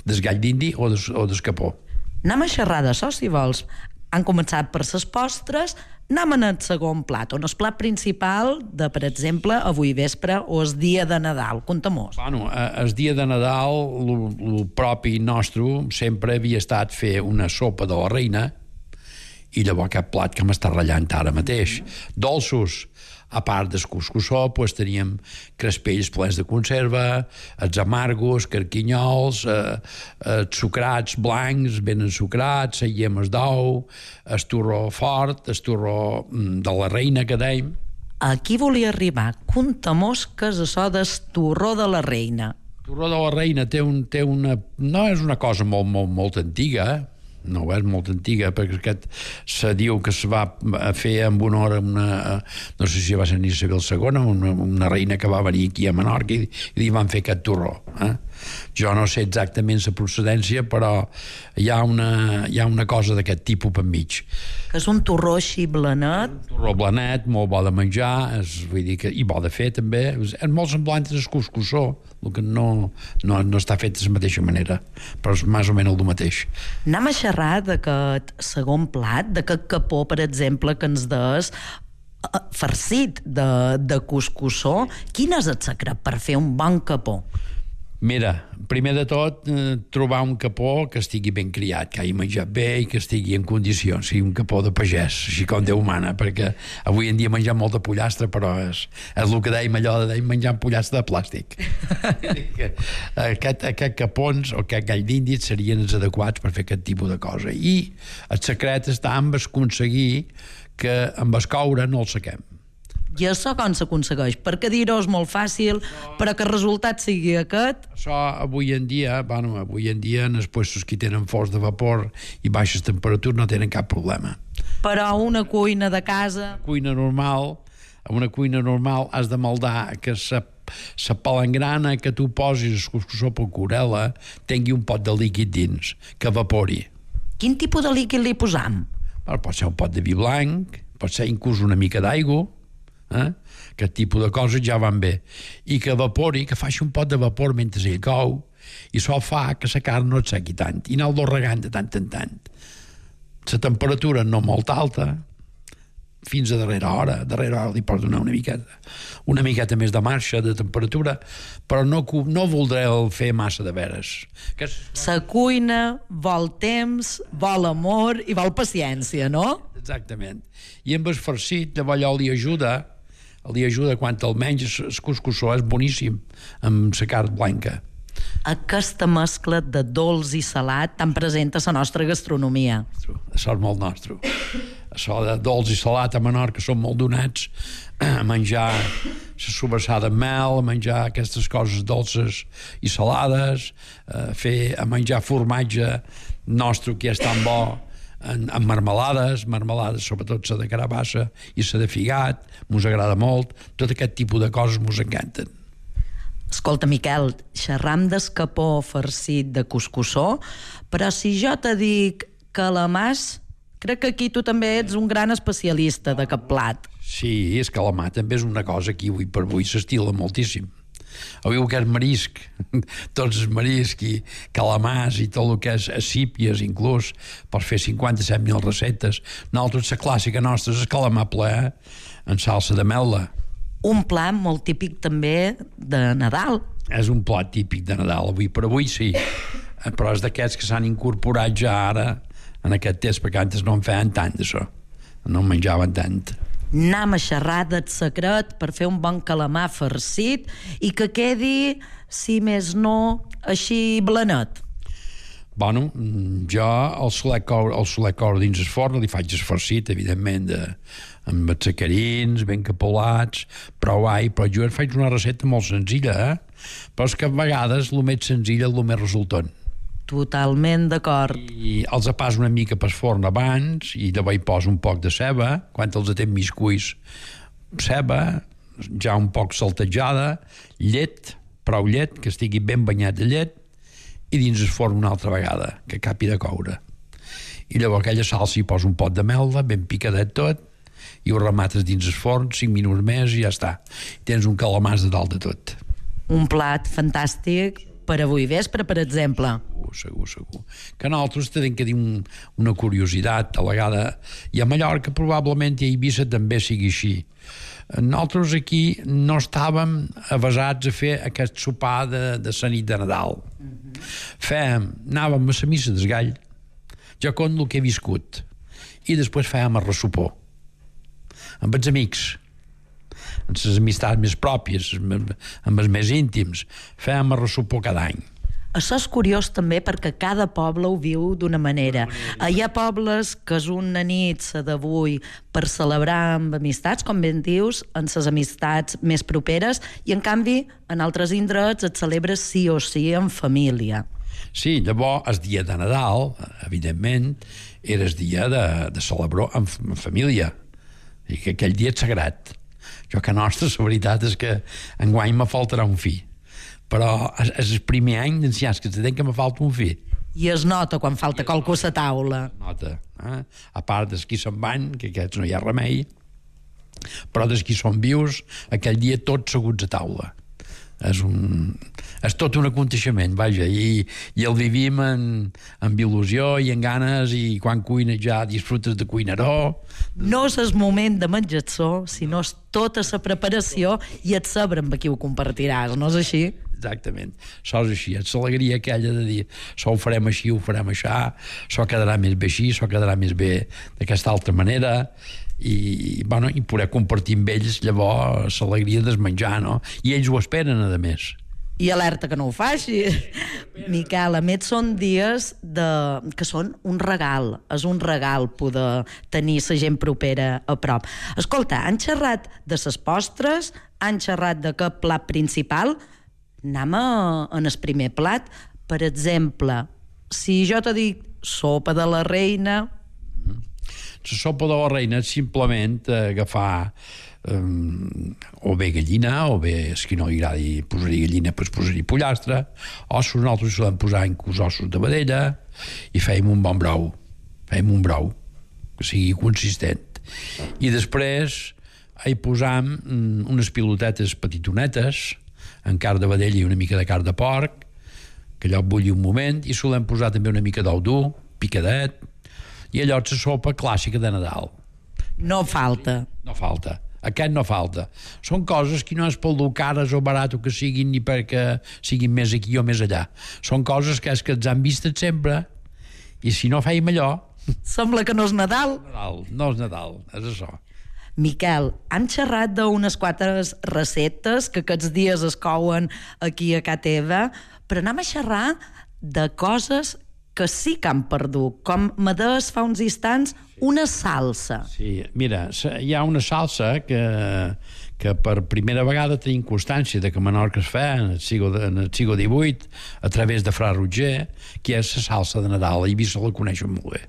del gall d'indi o des, o del capó. Anem a xerrar d'això, si vols. Han començat per ses postres, anem en el segon plat, on el plat principal de, per exemple, avui vespre o el dia de Nadal. Conta-mos. Bueno, el dia de Nadal, el propi nostre sempre havia estat fer una sopa de la reina, i llavors aquest plat que m'està ratllant ara mateix. Dolços, a part del cuscussó, pues, teníem crespells plens de conserva, els amargos, carquinyols, eh, eh, sucrats blancs, ben ensucrats, les llemes d'ou, el torró fort, el torró de la reina que dèiem. Aquí volia arribar. Conta-mos què és això del torró de la reina. El torró de la reina té, un, té una... no és una cosa molt, molt, molt antiga, eh? No, és molt antiga, perquè aquest se diu que es va fer en honor a una, no sé si va ser Isabel segona, una, una reina que va venir aquí a Menorca, i, i li van fer aquest torró. Eh? Jo no sé exactament la procedència, però hi ha una, hi ha una cosa d'aquest tipus per mig. Que és un torró així blanet. Un torró blanet, molt bo de menjar, és, vull dir que, i bo de fer també. És molt semblant al cuscussó, el que no, no, no està fet de la mateixa manera, però és més o menys el mateix. Anem a xerrar d'aquest segon plat, d'aquest capó, per exemple, que ens des farcit de, de cuscussó. Quin és el secret per fer un bon capó? Mira, primer de tot, eh, trobar un capó que estigui ben criat, que hagi menjat bé i que estigui en condicions, sigui un capó de pagès, així com Déu mana, perquè avui en dia menjar molta pollastre, però és, és el que dèiem allò de dèiem menjar pollastre de plàstic. aquest, aquest capons o aquest gall d'indis serien els adequats per fer aquest tipus de cosa. I el secret està en aconseguir que amb el coure no el sequem. I això com s'aconsegueix? Perquè dir-ho és molt fàcil, però que el resultat sigui aquest... Això avui en dia, bueno, avui en dia en els puestos que tenen forts de vapor i baixes temperatures no tenen cap problema. Però una cuina de casa... Cuina normal, a una cuina normal has de maldar que sa, sa palangrana que tu posis el cuscussó per curela tingui un pot de líquid dins, que evapori. Quin tipus de líquid li posam? Bueno, pot ser un pot de vi blanc, pot ser inclús una mica d'aigua, eh? Aquest tipus de coses ja van bé, i que evapori, que faci un pot de vapor mentre ell cou, i això fa que la carn no et sequi tant i anar-lo regant de tant en tant. La temperatura no molt alta, fins a darrera hora, darrera hora li pots donar una miqueta una miqueta més de marxa de temperatura, però no, no voldré el fer massa de veres. Que és... La cuina vol temps, vol amor i vol paciència, no? Exactament. I amb el farcit, llavors allò li ajuda li ajuda quan el menys el cuscussó és boníssim amb la carn blanca. Aquesta mescla de dolç i salat tan present a la nostra gastronomia. Això és molt nostre. Això de dolç i salat a Menorca són molt donats a menjar la sobrassada amb mel, a menjar aquestes coses dolces i salades, a, fer, a menjar formatge nostre que és tan bo, en, en marmelades, marmelades, sobretot la de carabassa i la de figat, mos agrada molt. Tot aquest tipus de coses mos encanten. Escolta, Miquel, xerram d'escapó farcit de cuscussó, però si jo te dic calamars, crec que aquí tu també ets un gran especialista d'aquest plat. Sí, és calamar també és una cosa que avui per avui s'estila moltíssim. Avui el que és marisc, tots els mariscs i calamars i tot el que és sípies, inclús, per fer cinquanta-set mil receptes. Nosaltres, la clàssica nostra és el calamar ple en salsa de mel·la. Un plat molt típic també de Nadal, és un plat típic de Nadal, avui per avui sí, però és d'aquests que s'han incorporat ja ara, en aquest temps, perquè antes no en feien tant d'això, no en menjaven tant. Anem a xerrar del secret per fer un bon calamar farcit i que quedi, si més no, així blanet. Bueno, jo el solet coure, el solet coure dins el forn, li faig el farcit, evidentment, de, amb els sacarins, ben capolats, prou all, però jo faig una recepta molt senzilla, eh? Però és que a vegades el més senzill és el més resultant. Totalment d'acord. I els apàs una mica pel forn abans i llavors hi poso un poc de ceba, quan els atem mig cuits, ceba, ja un poc saltejada, llet, prou llet, que estigui ben banyat de llet, i dins el forn una altra vegada, que acabi de coure. I llavors aquella salsa hi poso un pot de melda, ben picadet tot, i ho remates dins el forn, cinc minuts més i ja està. I tens un calamàs de dalt de tot. Un plat fantàstic per avui vespre, per exemple. Segur, segur, segur. Que nosaltres tenim que dir un, una curiositat, a la vegada, i a Mallorca probablement i a Eivissa també sigui així. Nosaltres aquí no estàvem avasats a fer aquest sopar de, de la nit de Nadal. Mm-hmm. Fèiem, anàvem a la missa del gall, jo conto el que he viscut, i després fèiem el ressopó, amb els amics, amb les amistats més pròpies, amb els més íntims, fèiem el ressopó cada any. Això és curiós també perquè cada poble ho viu d'una manera. Hi ha pobles que és una nit, la d'avui, per celebrar amb amistats, com ben dius, en les amistats més properes, i en canvi, en altres indrets et celebres sí o sí en família. Sí, llavors, el dia de Nadal, evidentment, era el dia de, de celebrar en, en família, i que aquell dia és sagrat. Jo que nostre, la veritat és que enguany me faltarà un fill, però és el primer any d'ancians que tenc que me falta un fill. I es nota quan falta qualcú a la taula. Es nota, eh? A part dels qui se'n van, que aquests no hi ha remei, però dels qui són vius, aquell dia tots seguts a taula. És, un, és tot un aconteixement, vaja, i, i el vivim en, amb il·lusió i en ganes, i quan cuines ja disfrutes de cuinaró. No és el moment de menjar-s'ho, sinó és tota la preparació i et saber amb qui ho compartiràs, no és així? Exactament, això és així, és l'alegria aquella de dir, això ho farem així, ho farem això, això quedarà més bé així, això quedarà més bé d'aquesta altra manera, i, bueno, i poder compartir amb ells llavors l'alegria de menjar, no? I ells ho esperen, a més. I alerta que no ho faci. Miquel, a més són dies de... que són un regal, és un regal poder tenir la gent propera a prop. Escolta, han xerrat de ses postres, han xerrat de què plat principal, anem a, en el primer plat. Per exemple, si jo te dic sopa de la reina... La sopa de la reina és simplement agafar um, o bé gallina, o bé, és que no li agradi posar-hi gallina, doncs posar-hi pollastre, ossos, nosaltres solem posar inclús ossos de vedella, i fèiem un bon brou, fèiem un brou, que sigui consistent. I després hi posam um, unes pilotetes petitonetes, en carn de vedella i una mica de carn de porc, que allò bulli un moment, i solem posar també una mica d'ou dur, picadet, i allò és la sopa clàssica de Nadal. No falta. No falta. Aquest no falta. Són coses que no és pel dur cares o barat o que siguin ni perquè siguin més aquí o més allà. Són coses que és que ens han vistes sempre, i si no fèiem allò... Sembla que no és Nadal. Nadal. No és Nadal, és això. Miquel, han xerrat d'unes quantes receptes que aquests dies es couen aquí a ca teva, però anem a xerrar de coses que sí que han perdut, com me deies fa uns instants, una salsa. Sí, mira, hi ha una salsa que, que per primera vegada tenim constància de que a Menorca es fa en el segle divuit a través de Fra Roger, que és la salsa de Nadal. A Eivissa la coneixen molt bé.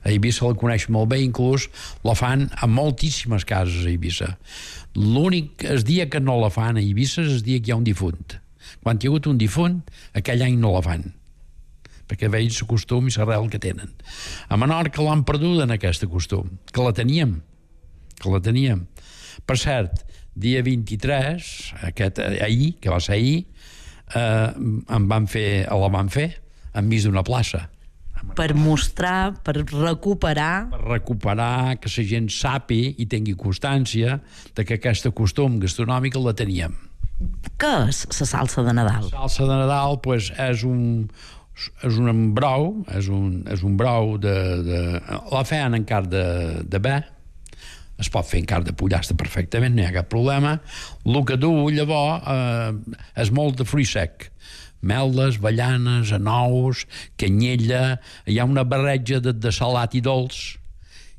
A Eivissa la coneixen molt bé, inclús la fan a moltíssimes cases a Eivissa. L'únic, el dia que no la fan a Eivissa és el dia que hi ha un difunt. Quan hi ha hagut un difunt, aquell any no la fan, perquè veig el costum i l'arrel que tenen. A Menorca l'han perdut en aquest costum, que la teníem, que la teníem. Per cert, dia vint-i-tres, aquest, ahir, que va ser ahir, eh, em van fer, la van fer enmig d'una plaça. Per mostrar, per recuperar... Per recuperar, que la gent sapi i tingui constància de que aquest costum gastronòmic la teníem. Què és la salsa de Nadal? La salsa de Nadal pues, és un és un brou, és un, és un brou de, de... La feien en carn de, de bé, es pot fer en carn de pollastre perfectament, no hi ha cap problema. El que du, llavors, eh, és molt de fruit sec. Meldes, avellanes, anous, canyella, hi ha una barreja de, de salat i dolç,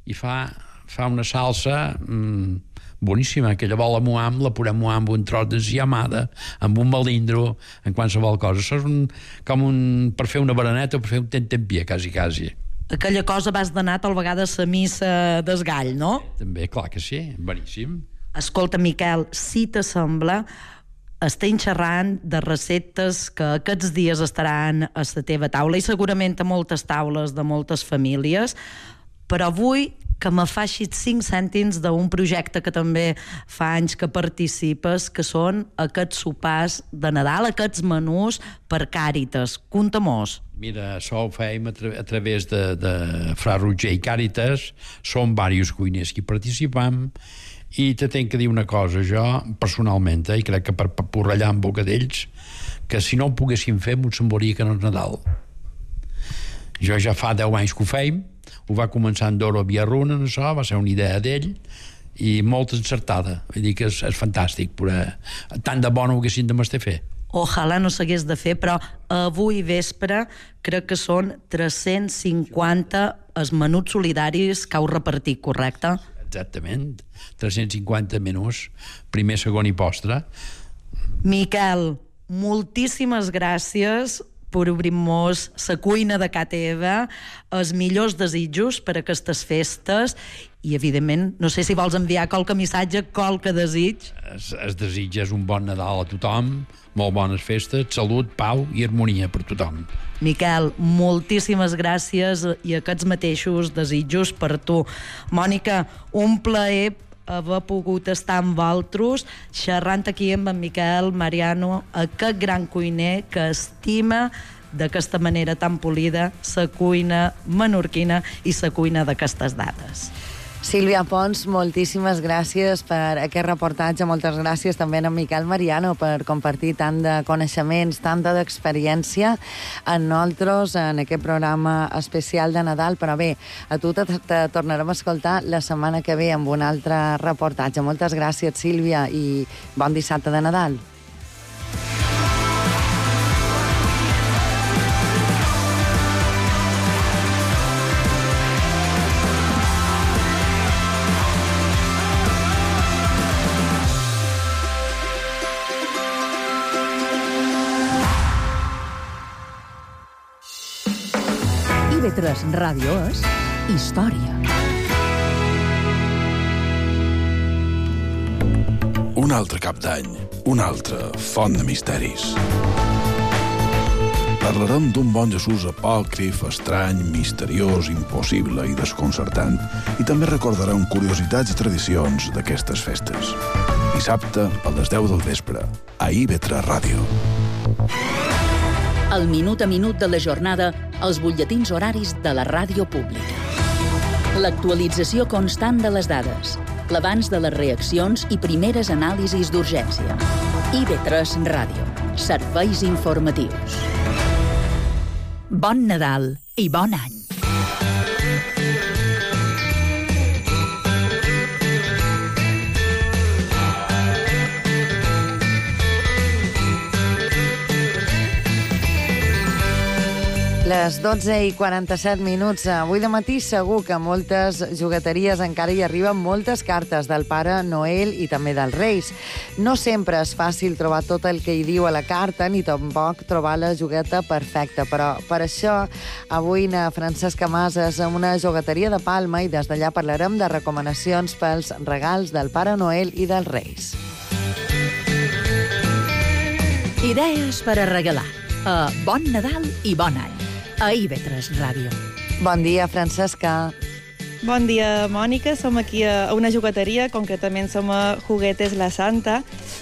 i fa, fa una salsa mmm, boníssima, que llavors la moam, la podem moar amb un tros d'enciamada, amb un melindro, en qualsevol cosa. Això és un, com un, per fer una bereneta o per fer un tentempié, quasi, quasi. Aquella cosa vas d'anar tal vegada a la missa d'esgall, no? També, clar que sí, boníssim. Escolta, Miquel, si t'assembla, estem xerrant de receptes que aquests dies estaran a la teva taula i segurament a moltes taules de moltes famílies, però avui que me facis cinc cèntims d'un projecte que també fa anys que participes, que són aquests sopars de Nadal, aquests menús per Càritas. Conta-mos. Mira, això ho fèiem a, tra a través de, de Fra Roger i Càritas, són diversos cuiners que hi participam, i te tenc que dir una cosa, jo personalment, eh, i crec que per porrellar en boca d'ells, que si no ho poguéssim fer m'ho semblaria que no és Nadal. Jo ja fa deu anys que ho feim, ho va començar en Doro Villarruna, això, va ser una idea d'ell, i molt encertada. Vull dir que és, és fantàstic, però tant de bo no ho haguessin de m'estar fer. Ojalà no s'hagués de fer, però avui vespre crec que són tres-cents cinquanta els menuts solidaris que heu repartit, correcte? Exactament, tres-cents cinquanta menús, primer, segon i postre. Miquel, moltíssimes gràcies per obrir-nos la cuina de ca teva, els millors desitjos per a aquestes festes i, evidentment, no sé si vols enviar qualque missatge, qualque desig. Es, es desitja un bon Nadal a tothom, molt bones festes, salut, pau i harmonia per tothom. Miquel, moltíssimes gràcies i aquests mateixos desitjos per tu. Mònica, un plaer haver pogut estar amb vosaltres xerrant aquí amb en Miquel Mariano, aquest gran cuiner que estima d'aquesta manera tan polida la cuina menorquina i la cuina d'aquestes dates. Sílvia Pons, moltíssimes gràcies per aquest reportatge, moltes gràcies també a en Miquel Mariano per compartir tant de coneixements, tanta d'experiència amb nosaltres en aquest programa especial de Nadal, però bé, a tu te, te tornarem a escoltar la setmana que ve amb un altre reportatge. Moltes gràcies, Sílvia, i bon dissabte de Nadal. I V tres Ràdio és història. Un altre cap d'any, una altra font de misteris. Parlarem d'un bon Jesús apòcrif, estrany, misteriós, impossible i desconcertant, i també recordarem curiositats i tradicions d'aquestes festes. Dissabte, a les deu del vespre, a I V tres Ràdio. El minut a minut de la jornada, els butlletins horaris de la ràdio pública. L'actualització constant de les dades, l'abans de les reaccions i primeres anàlisis d'urgència. I V tres Ràdio. Serveis informatius. Bon Nadal i bon any. Les dotze i quaranta-set minuts. Avui de matí segur que a moltes jugueteries encara hi arriben moltes cartes del Pare Noel i també dels Reis. No sempre és fàcil trobar tot el que hi diu a la carta, ni tampoc trobar la jugueta perfecta, però per això avui na Francesca Mas és a una jugueteria de Palma i des d'allà parlarem de recomanacions pels regals del Pare Noel i dels Reis. Idees per a regalar. A Bon Nadal i Bon Any. A I V tres Ràdio. Bon dia, Francesca. Bon dia, Mònica. Som aquí a una jugueteria, concretament som a Juguetes La Santa,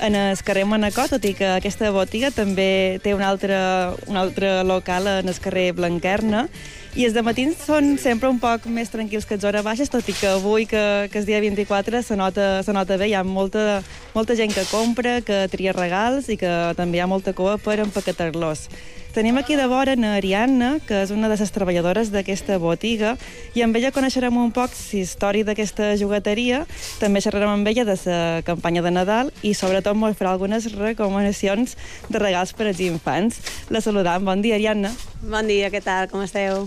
en el carrer Manacor, tot i que aquesta botiga també té un altre, un altre local en el carrer Blanquerna. I els dematins són sempre un poc més tranquils que les hores baixes, tot i que avui, que, que és dia vint-i-quatre, se nota, se nota bé. Hi ha molta, molta gent que compra, que tria regals i que també hi ha molta cua per empaquetar-los. Tenim aquí de vora a Ariadna, que és una de les treballadores d'aquesta botiga, i amb ella coneixerem un poc la història d'aquesta jugueteria, també xerrarem amb ella de la campanya de Nadal i sobretot ens farà algunes recomanacions de regals per als infants. La saludam. Bon dia, Ariadna. Bon dia, què tal? Com esteu?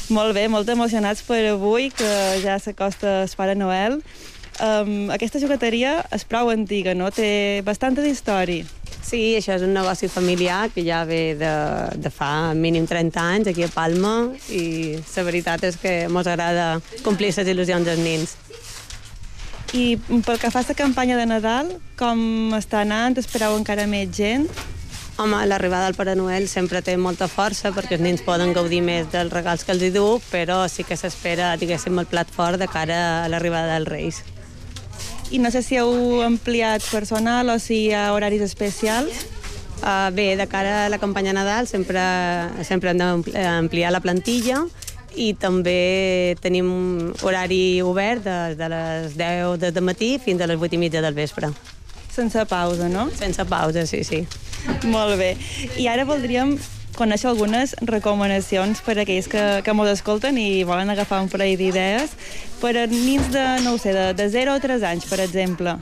Molt bé, molt emocionats per avui, que ja s'acosta el Pare Noel. Um, aquesta jugueteria és prou antiga, no? Té bastanta història. Sí, això és un negoci familiar que ja ve de, de fa mínim trenta anys aquí a Palma i la veritat és que ens agrada complir les il·lusions dels nens. I pel que fa a la campanya de Nadal, com està anant? Espereu encara més gent? Home, l'arribada del Pare Noel sempre té molta força perquè els nens poden gaudir més dels regals que els hi du, però sí que s'espera, diguéssim, el plat fort de cara a l'arribada dels Reis. I no sé si heu ampliat personal o si hi ha horaris especials. Uh, bé, de cara a la campanya Nadal sempre, sempre hem d'ampliar la plantilla i també tenim horari obert de, de les deu del matí fins a les vuit i mitja del vespre. Sense pausa, no? Sense pausa, sí, sí. Molt bé. I ara voldríem conèixer algunes recomanacions per a aquells que, que mos escolten i volen agafar un parell d'idees per a nins de, no ho sé, de, de zero a tres anys, per exemple.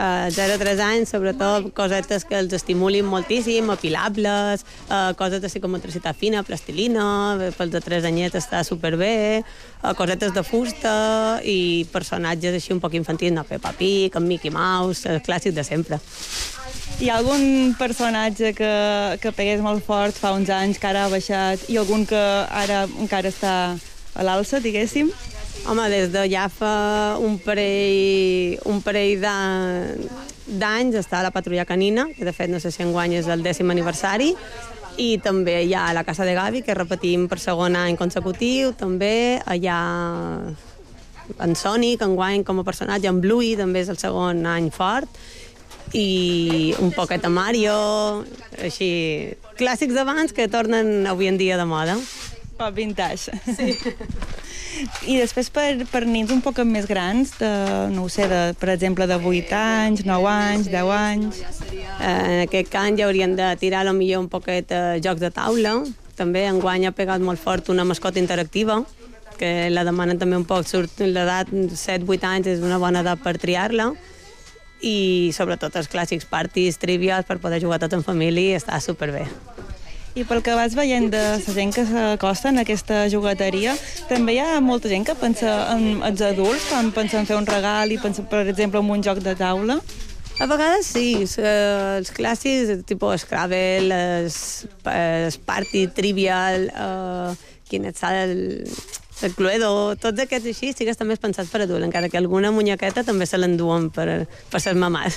Uh, zero a tres anys, sobretot cosetes que els estimulin moltíssim, apilables, uh, coses de psicomotricitat fina, plastilina, pels de tres anyets està superbé, uh, cosetes de fusta i personatges així un poc infantils, no, Peppa Pig, amb Mickey Mouse, els clàssics de sempre. Hi ha algun personatge que, que pegués molt fort fa uns anys, que ara ha baixat, i algun que ara encara està a l'alça, diguéssim? Home, des de ja fa un parell, un parell d'anys està la Patrulla Canina, que de fet no sé si enguany és el dècim aniversari, i també hi ha la Casa de Gavi, que repetim per segon any consecutiu, també hi ha en Sonic, enguany com a personatge, en Bluey també és el segon any fort, i un poquet a Mario, així, clàssics d'abans que tornen avui en dia de moda. Pop vintage. Sí. I després per, per nins un poc més grans, de, no ho sé, de, per exemple, de vuit anys, nou anys, deu anys... Eh, en aquest cas ja haurien de tirar a millor un poquet eh, jocs de taula. També enguany ha pegat molt fort una mascota interactiva, que la demanen també un poc, surt l'edat set vuit anys, és una bona edat per triar-la, i sobretot els clàssics parties, trivials, per poder jugar tot en família, està superbé. I pel que vas veient de la gent que s'acosta en aquesta jugueteria, també hi ha molta gent que pensa en els adults, quan pensa en fer un regal i pensa, per exemple, en un joc de taula? A vegades sí, els clàssics, tipus Scrabble, els, els Party, Trivial, uh, quin et sap el, el Cluedo, tots aquests així sí que estan més pensats per adult, encara que alguna muñequeta també se l'enduen per, per ser mamàs.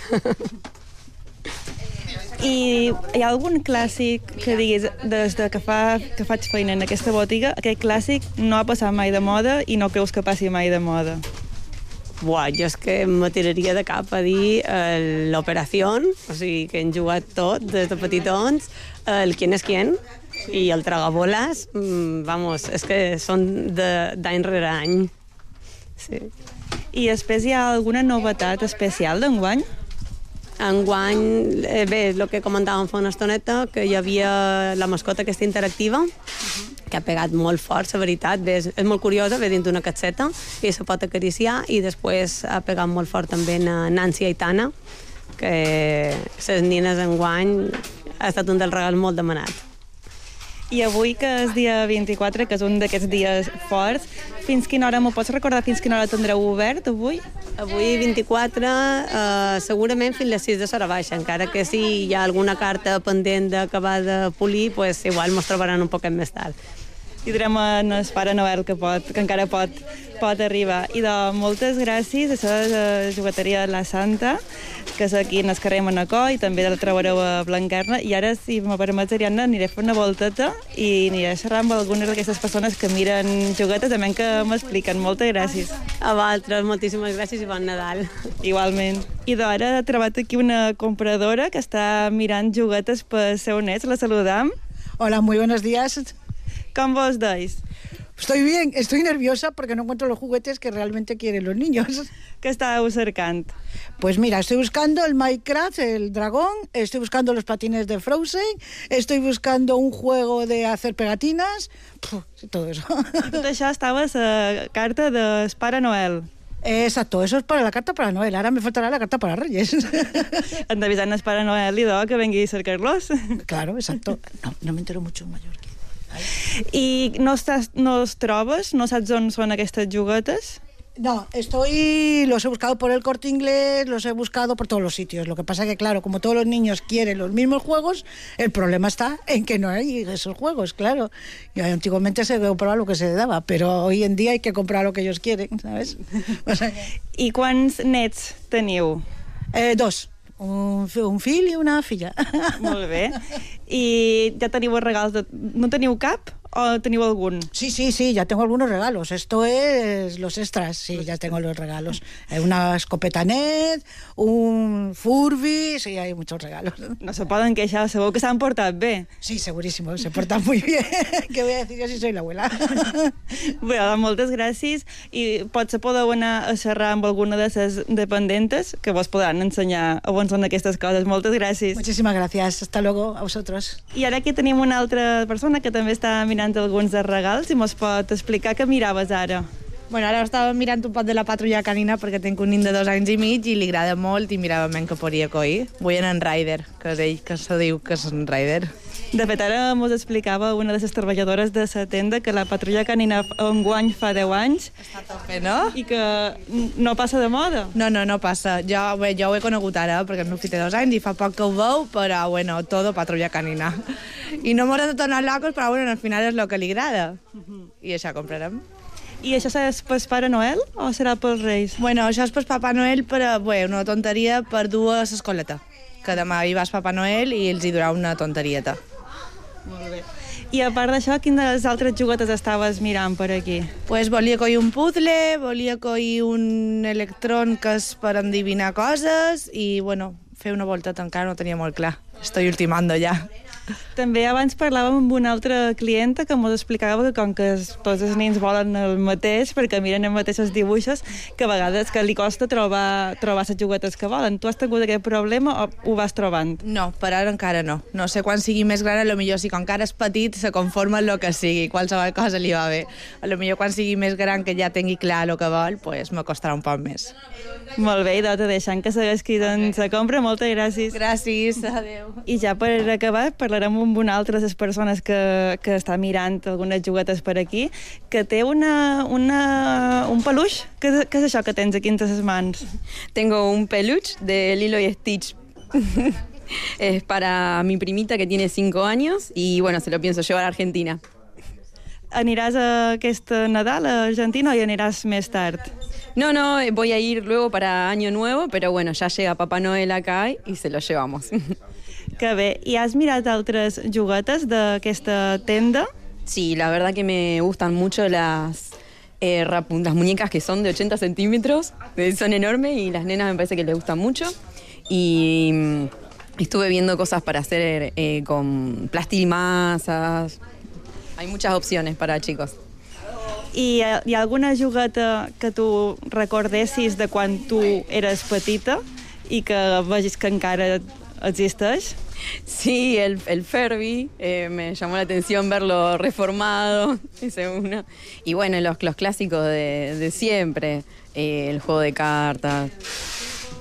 I hi ha algun clàssic que diguis, des de que, fa, que faig feina en aquesta botiga, aquest clàssic no ha passat mai de moda i no creus que passi mai de moda? Buah, jo és que me tiraria de cap a dir eh, l'Operación, o sigui, que hem jugat tot des de petitons, el Quién es quién i el Tragaboles, mm, vamos, és que són d'any rere any. Sí. I després hi ha alguna novetat especial d'enguany? Enguany, eh, bé, el que comentàvem fa una estoneta, que hi havia la mascota aquesta interactiva, que ha pegat molt fort, la veritat. Bé, és, és molt curiosa, ve dins d'una casseta i se pot acariciar, i després ha pegat molt fort també a Nancy Aitana, que les nines enguany ha estat un dels regals molt demanat. I avui, que és dia vint-i-quatre, que és un d'aquests dies forts, fins quina hora, m'ho pots recordar fins quina hora tindreu obert avui? Avui vint-i-quatre, eh, segurament fins les sis de l'hora baixa, encara que si hi ha alguna carta pendent d'acabar de polir, pues igual mos trobaran un poquet més tard. I direm en el Pare Noel que, pot, que encara pot, pot arribar. I de moltes gràcies a la jugueteria de la Santa, que és aquí en el carrer Manacor, i també la trobareu a Blanquerna. I ara, si me permets, Ariadna, aniré a fer una volteta i aniré a xerrar amb algunes d'aquestes persones que miren juguetes, també que m'expliquen. Moltes gràcies. A vosaltres, moltíssimes gràcies i bon Nadal. Igualment. I d'ara he trobat aquí una compradora que està mirant juguetes per seu nets. La saludam. Hola, muy buenos días. Com vos deis? Estoy bien, estoy nerviosa porque no encuentro los juguetes que realmente quieren los niños. Què estàveu cercant? Pues mira, estoy buscando el Minecraft, el dragón, estoy buscando los patines de Frozen, estoy buscando un juego de hacer pegatinas, puf, todo eso. I tot això estava a la carta del Pare Noel. Exacto, eso es para la carta para Noel. Ahora me faltará la carta para Reyes. Han d'avisar el Pare Noel i de que vengui a cercar-los. Claro, exacto. No, no me entero mucho en mallorquí. I no, estàs, no els trobes? No saps on són aquestes juguetes? No, estoy, los he buscado por el Corte Inglés, los he buscado por todos los sitios. Lo que pasa que, claro, como todos los niños quieren los mismos juegos, el problema está en que no hay esos juegos, claro. Y antiguamente se compraba lo que se le daba, pero hoy en día hay que comprar lo que ellos quieren, ¿sabes? O sea, I quants nets teniu? Eh, dos. Un, un fill i una filla. Molt bé. I ja teniu els regals de... No teniu cap o teniu algun? Sí, sí, sí, ya tengo algunos regalos. Esto es los extras, sí, ya tengo los regalos. Hay una escopeta net, un Furby, sí, hay muchos regalos. No se poden queixar, segur que s'han portat bé. Sí, segurísimo, se portan muy bien. ¿Qué voy a decir yo si soy la abuela? Bé, moltes gràcies. I potser podeu anar a xerrar amb alguna de les dependentes que vos podran ensenyar on són aquestes coses. Moltes gràcies. Muchísimas gracias. Hasta luego a vosotros. I ara aquí tenim una altra persona que també està mirant alguns dels regals i mos pot explicar què miraves ara. Bueno, ara estava mirant un pot de la patrulla canina perquè tinc un nin de dos anys i mig i li agrada molt i mirava men que podria coir. Vull anar en Ryder, que és ell que se diu que és en Ryder. De fet, ara mos explicava una de les treballadores de la tenda que la patrulla canina enguany fa deu anys. Està tot bé, no? I que no passa de moda. No, no, no passa. Jo, bé, jo ho he conegut ara perquè el meu fill té dos anys i fa poc que ho veu, però, bueno, todo patrulla canina. I no m'haurem de tornar locos, però, bueno, al final és el que li agrada. I això comprarem. I això és per Pare Noel o serà pels Reis? Bueno, això és per Papa Noel, però, bé, una tonteria per dur a l'escoleta. Que demà hi vas Papa Noel i els hi durà una tonterieta. Molt bé. I a part d'això, quines altres juguetes estaves mirant per aquí? Pues volia coir un puzzle, volia coir un electrón que és per endivinar coses i, bueno, fer una volta encara no tenia molt clar. Estoy ultimando ja. També abans parlàvem amb una altra clienta que ens explicava que com que tots els nens volen el mateix, perquè miren els mateixos dibuixos, que a vegades que li costa trobar, trobar les juguetes que volen. Tu has tingut aquest problema o ho vas trobant? No, per ara encara no. No sé quan sigui més gran, potser si com encara és petit se conforma en el que sigui, qualsevol cosa li va bé. Potser quan sigui més gran que ja tingui clar el que vol, pues me costarà un poc més. Molt bé, i te deixant que segueix cridant la compra. Moltes gràcies. Gràcies, adeu. I ja per acabar, parlarem amb una altra de les persones que, que està mirant algunes juguetes per aquí, que té una, una, un peluix. Què, què és això que tens aquí entre les mans? Tengo un peluche de Lilo y Stitch. Es para mi primita que tiene cinco años y bueno, se lo pienso llevar a Argentina. Aniràs a aquest Nadal a Argentina o hi aniràs més tard? No, no, voy a ir luego para Año Nuevo, pero bueno, ya llega Papá Noel acá y se lo llevamos. Que bé. I has mirat altres juguetes d'aquesta tenda? Sí, la verdad que me gustan mucho las, eh, las muñecas que son de ochenta centímetros, son enormes y las nenas me parece que les gustan mucho. Y mm, estuve viendo cosas para hacer eh, con plastilmasas. Hay muchas opciones para chicos. I hi ha alguna jugueta que tu recordessis de quan tu eres petita i que vegis que encara existeix? Sí, el, el Furby, eh, me llamó la atención verlo reformado, ese uno. Y bueno, los, los clásicos de, de siempre, eh, el juego de cartas.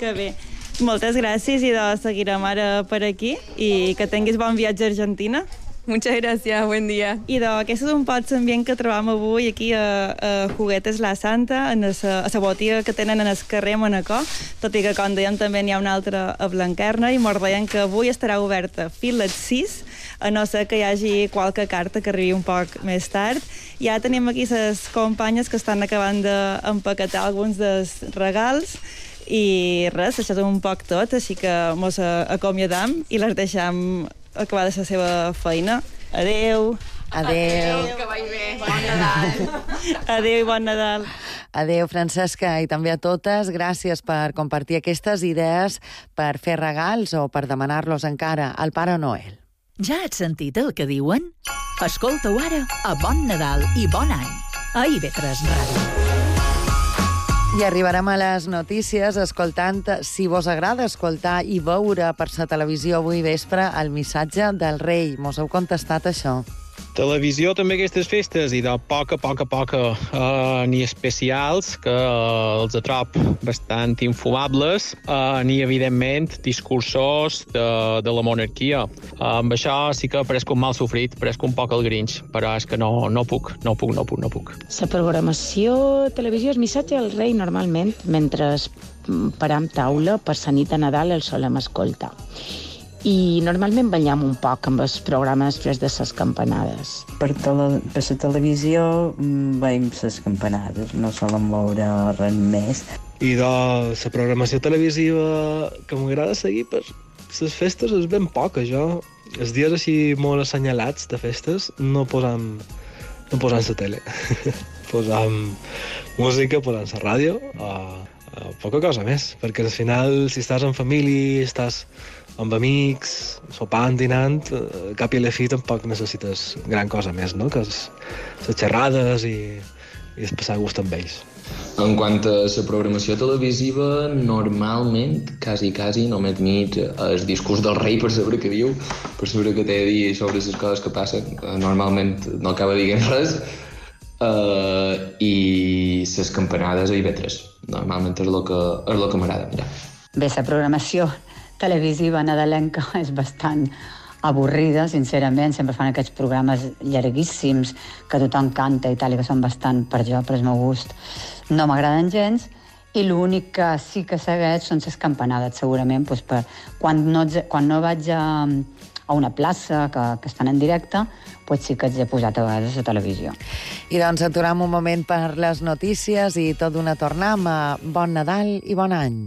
Que bé. Moltes gràcies i de seguirem ara per aquí i que tinguis bon viatge a Argentina. Muchas gracias, buen día. I aquest és un pot ambient que trobam avui aquí a, a Juguetes La Santa, a la botiga que tenen en el carrer Manacor, tot i que, com dèiem, també n'hi ha una altra a Blanquerna, i mos deien que avui estarà oberta fins les sis, a no ser que hi hagi qualque carta que arribi un poc més tard. Ja tenim aquí les companyes que estan acabant d'empaquetar alguns dels regals, i res, això és un poc tot, així que mos acomiadam i les deixam acabar de la seva feina. Adeu. Adeu. Que vagi bé. Bon Nadal. Adeu i bon Nadal. Adeu, Francesca, i també a totes. Gràcies per compartir aquestes idees per fer regals o per demanar-los encara al Pare Noel. Ja has sentit el que diuen? Escolta-ho ara a Bon Nadal i Bon Any, a I V tres Ràdio. I arribarem a les notícies escoltant, si vos agrada escoltar i veure per la televisió avui vespre, el missatge del rei. Mos heu contestat això? Televisió també aquestes festes, i de poca, poca, poca, uh, ni especials, que uh, els atrop bastant infumables, uh, ni, evidentment, discursos de, de la monarquia. Uh, amb això sí que pareix un mal sofrit, pareix un poc el Grinch, però és que no, no puc, no puc, no puc, no puc. La programació televisió és missatge al rei normalment, mentre param taula per la nit de Nadal el solem escoltar. I normalment ballem un poc amb els programes després de les campanades. Per, tele, per la televisió veiem les campanades, no solen veure res més. I de la programació televisiva que m'agrada seguir per les festes és ben poca, jo. Els dies així molt assenyalats de festes no posam, no posam la tele. Posam música, posam la ràdio, o, o poca cosa més, perquè al final si estàs en família, estàs amb amics, sopant, dinant, cap i a la fi tampoc necessites gran cosa més, no? Que és les xerrades i, i es passar gust amb ells. En quant a la programació televisiva, normalment, quasi, quasi, només mig el discurs del rei per saber què diu, per saber què té a dir sobre les coses que passen. Normalment no acaba dient res, uh, i les campanades a I V tres. Normalment és el que, és el que m'agrada mirar. Bé, la programació televisiva nadalenca és bastant avorrida, sincerament. Sempre fan aquests programes llarguíssims que tothom canta i tal, i que són bastant, per jo, per el meu gust, no m'agraden gens. I l'únic que sí que segueix són les campanades, segurament, doncs per, quan, no, quan no vaig a, a una plaça que, que estan en directe, doncs sí que els he posat a vegades a la televisió. I doncs aturem un moment per les notícies i tot d'una tornam a Bon Nadal i Bon Any.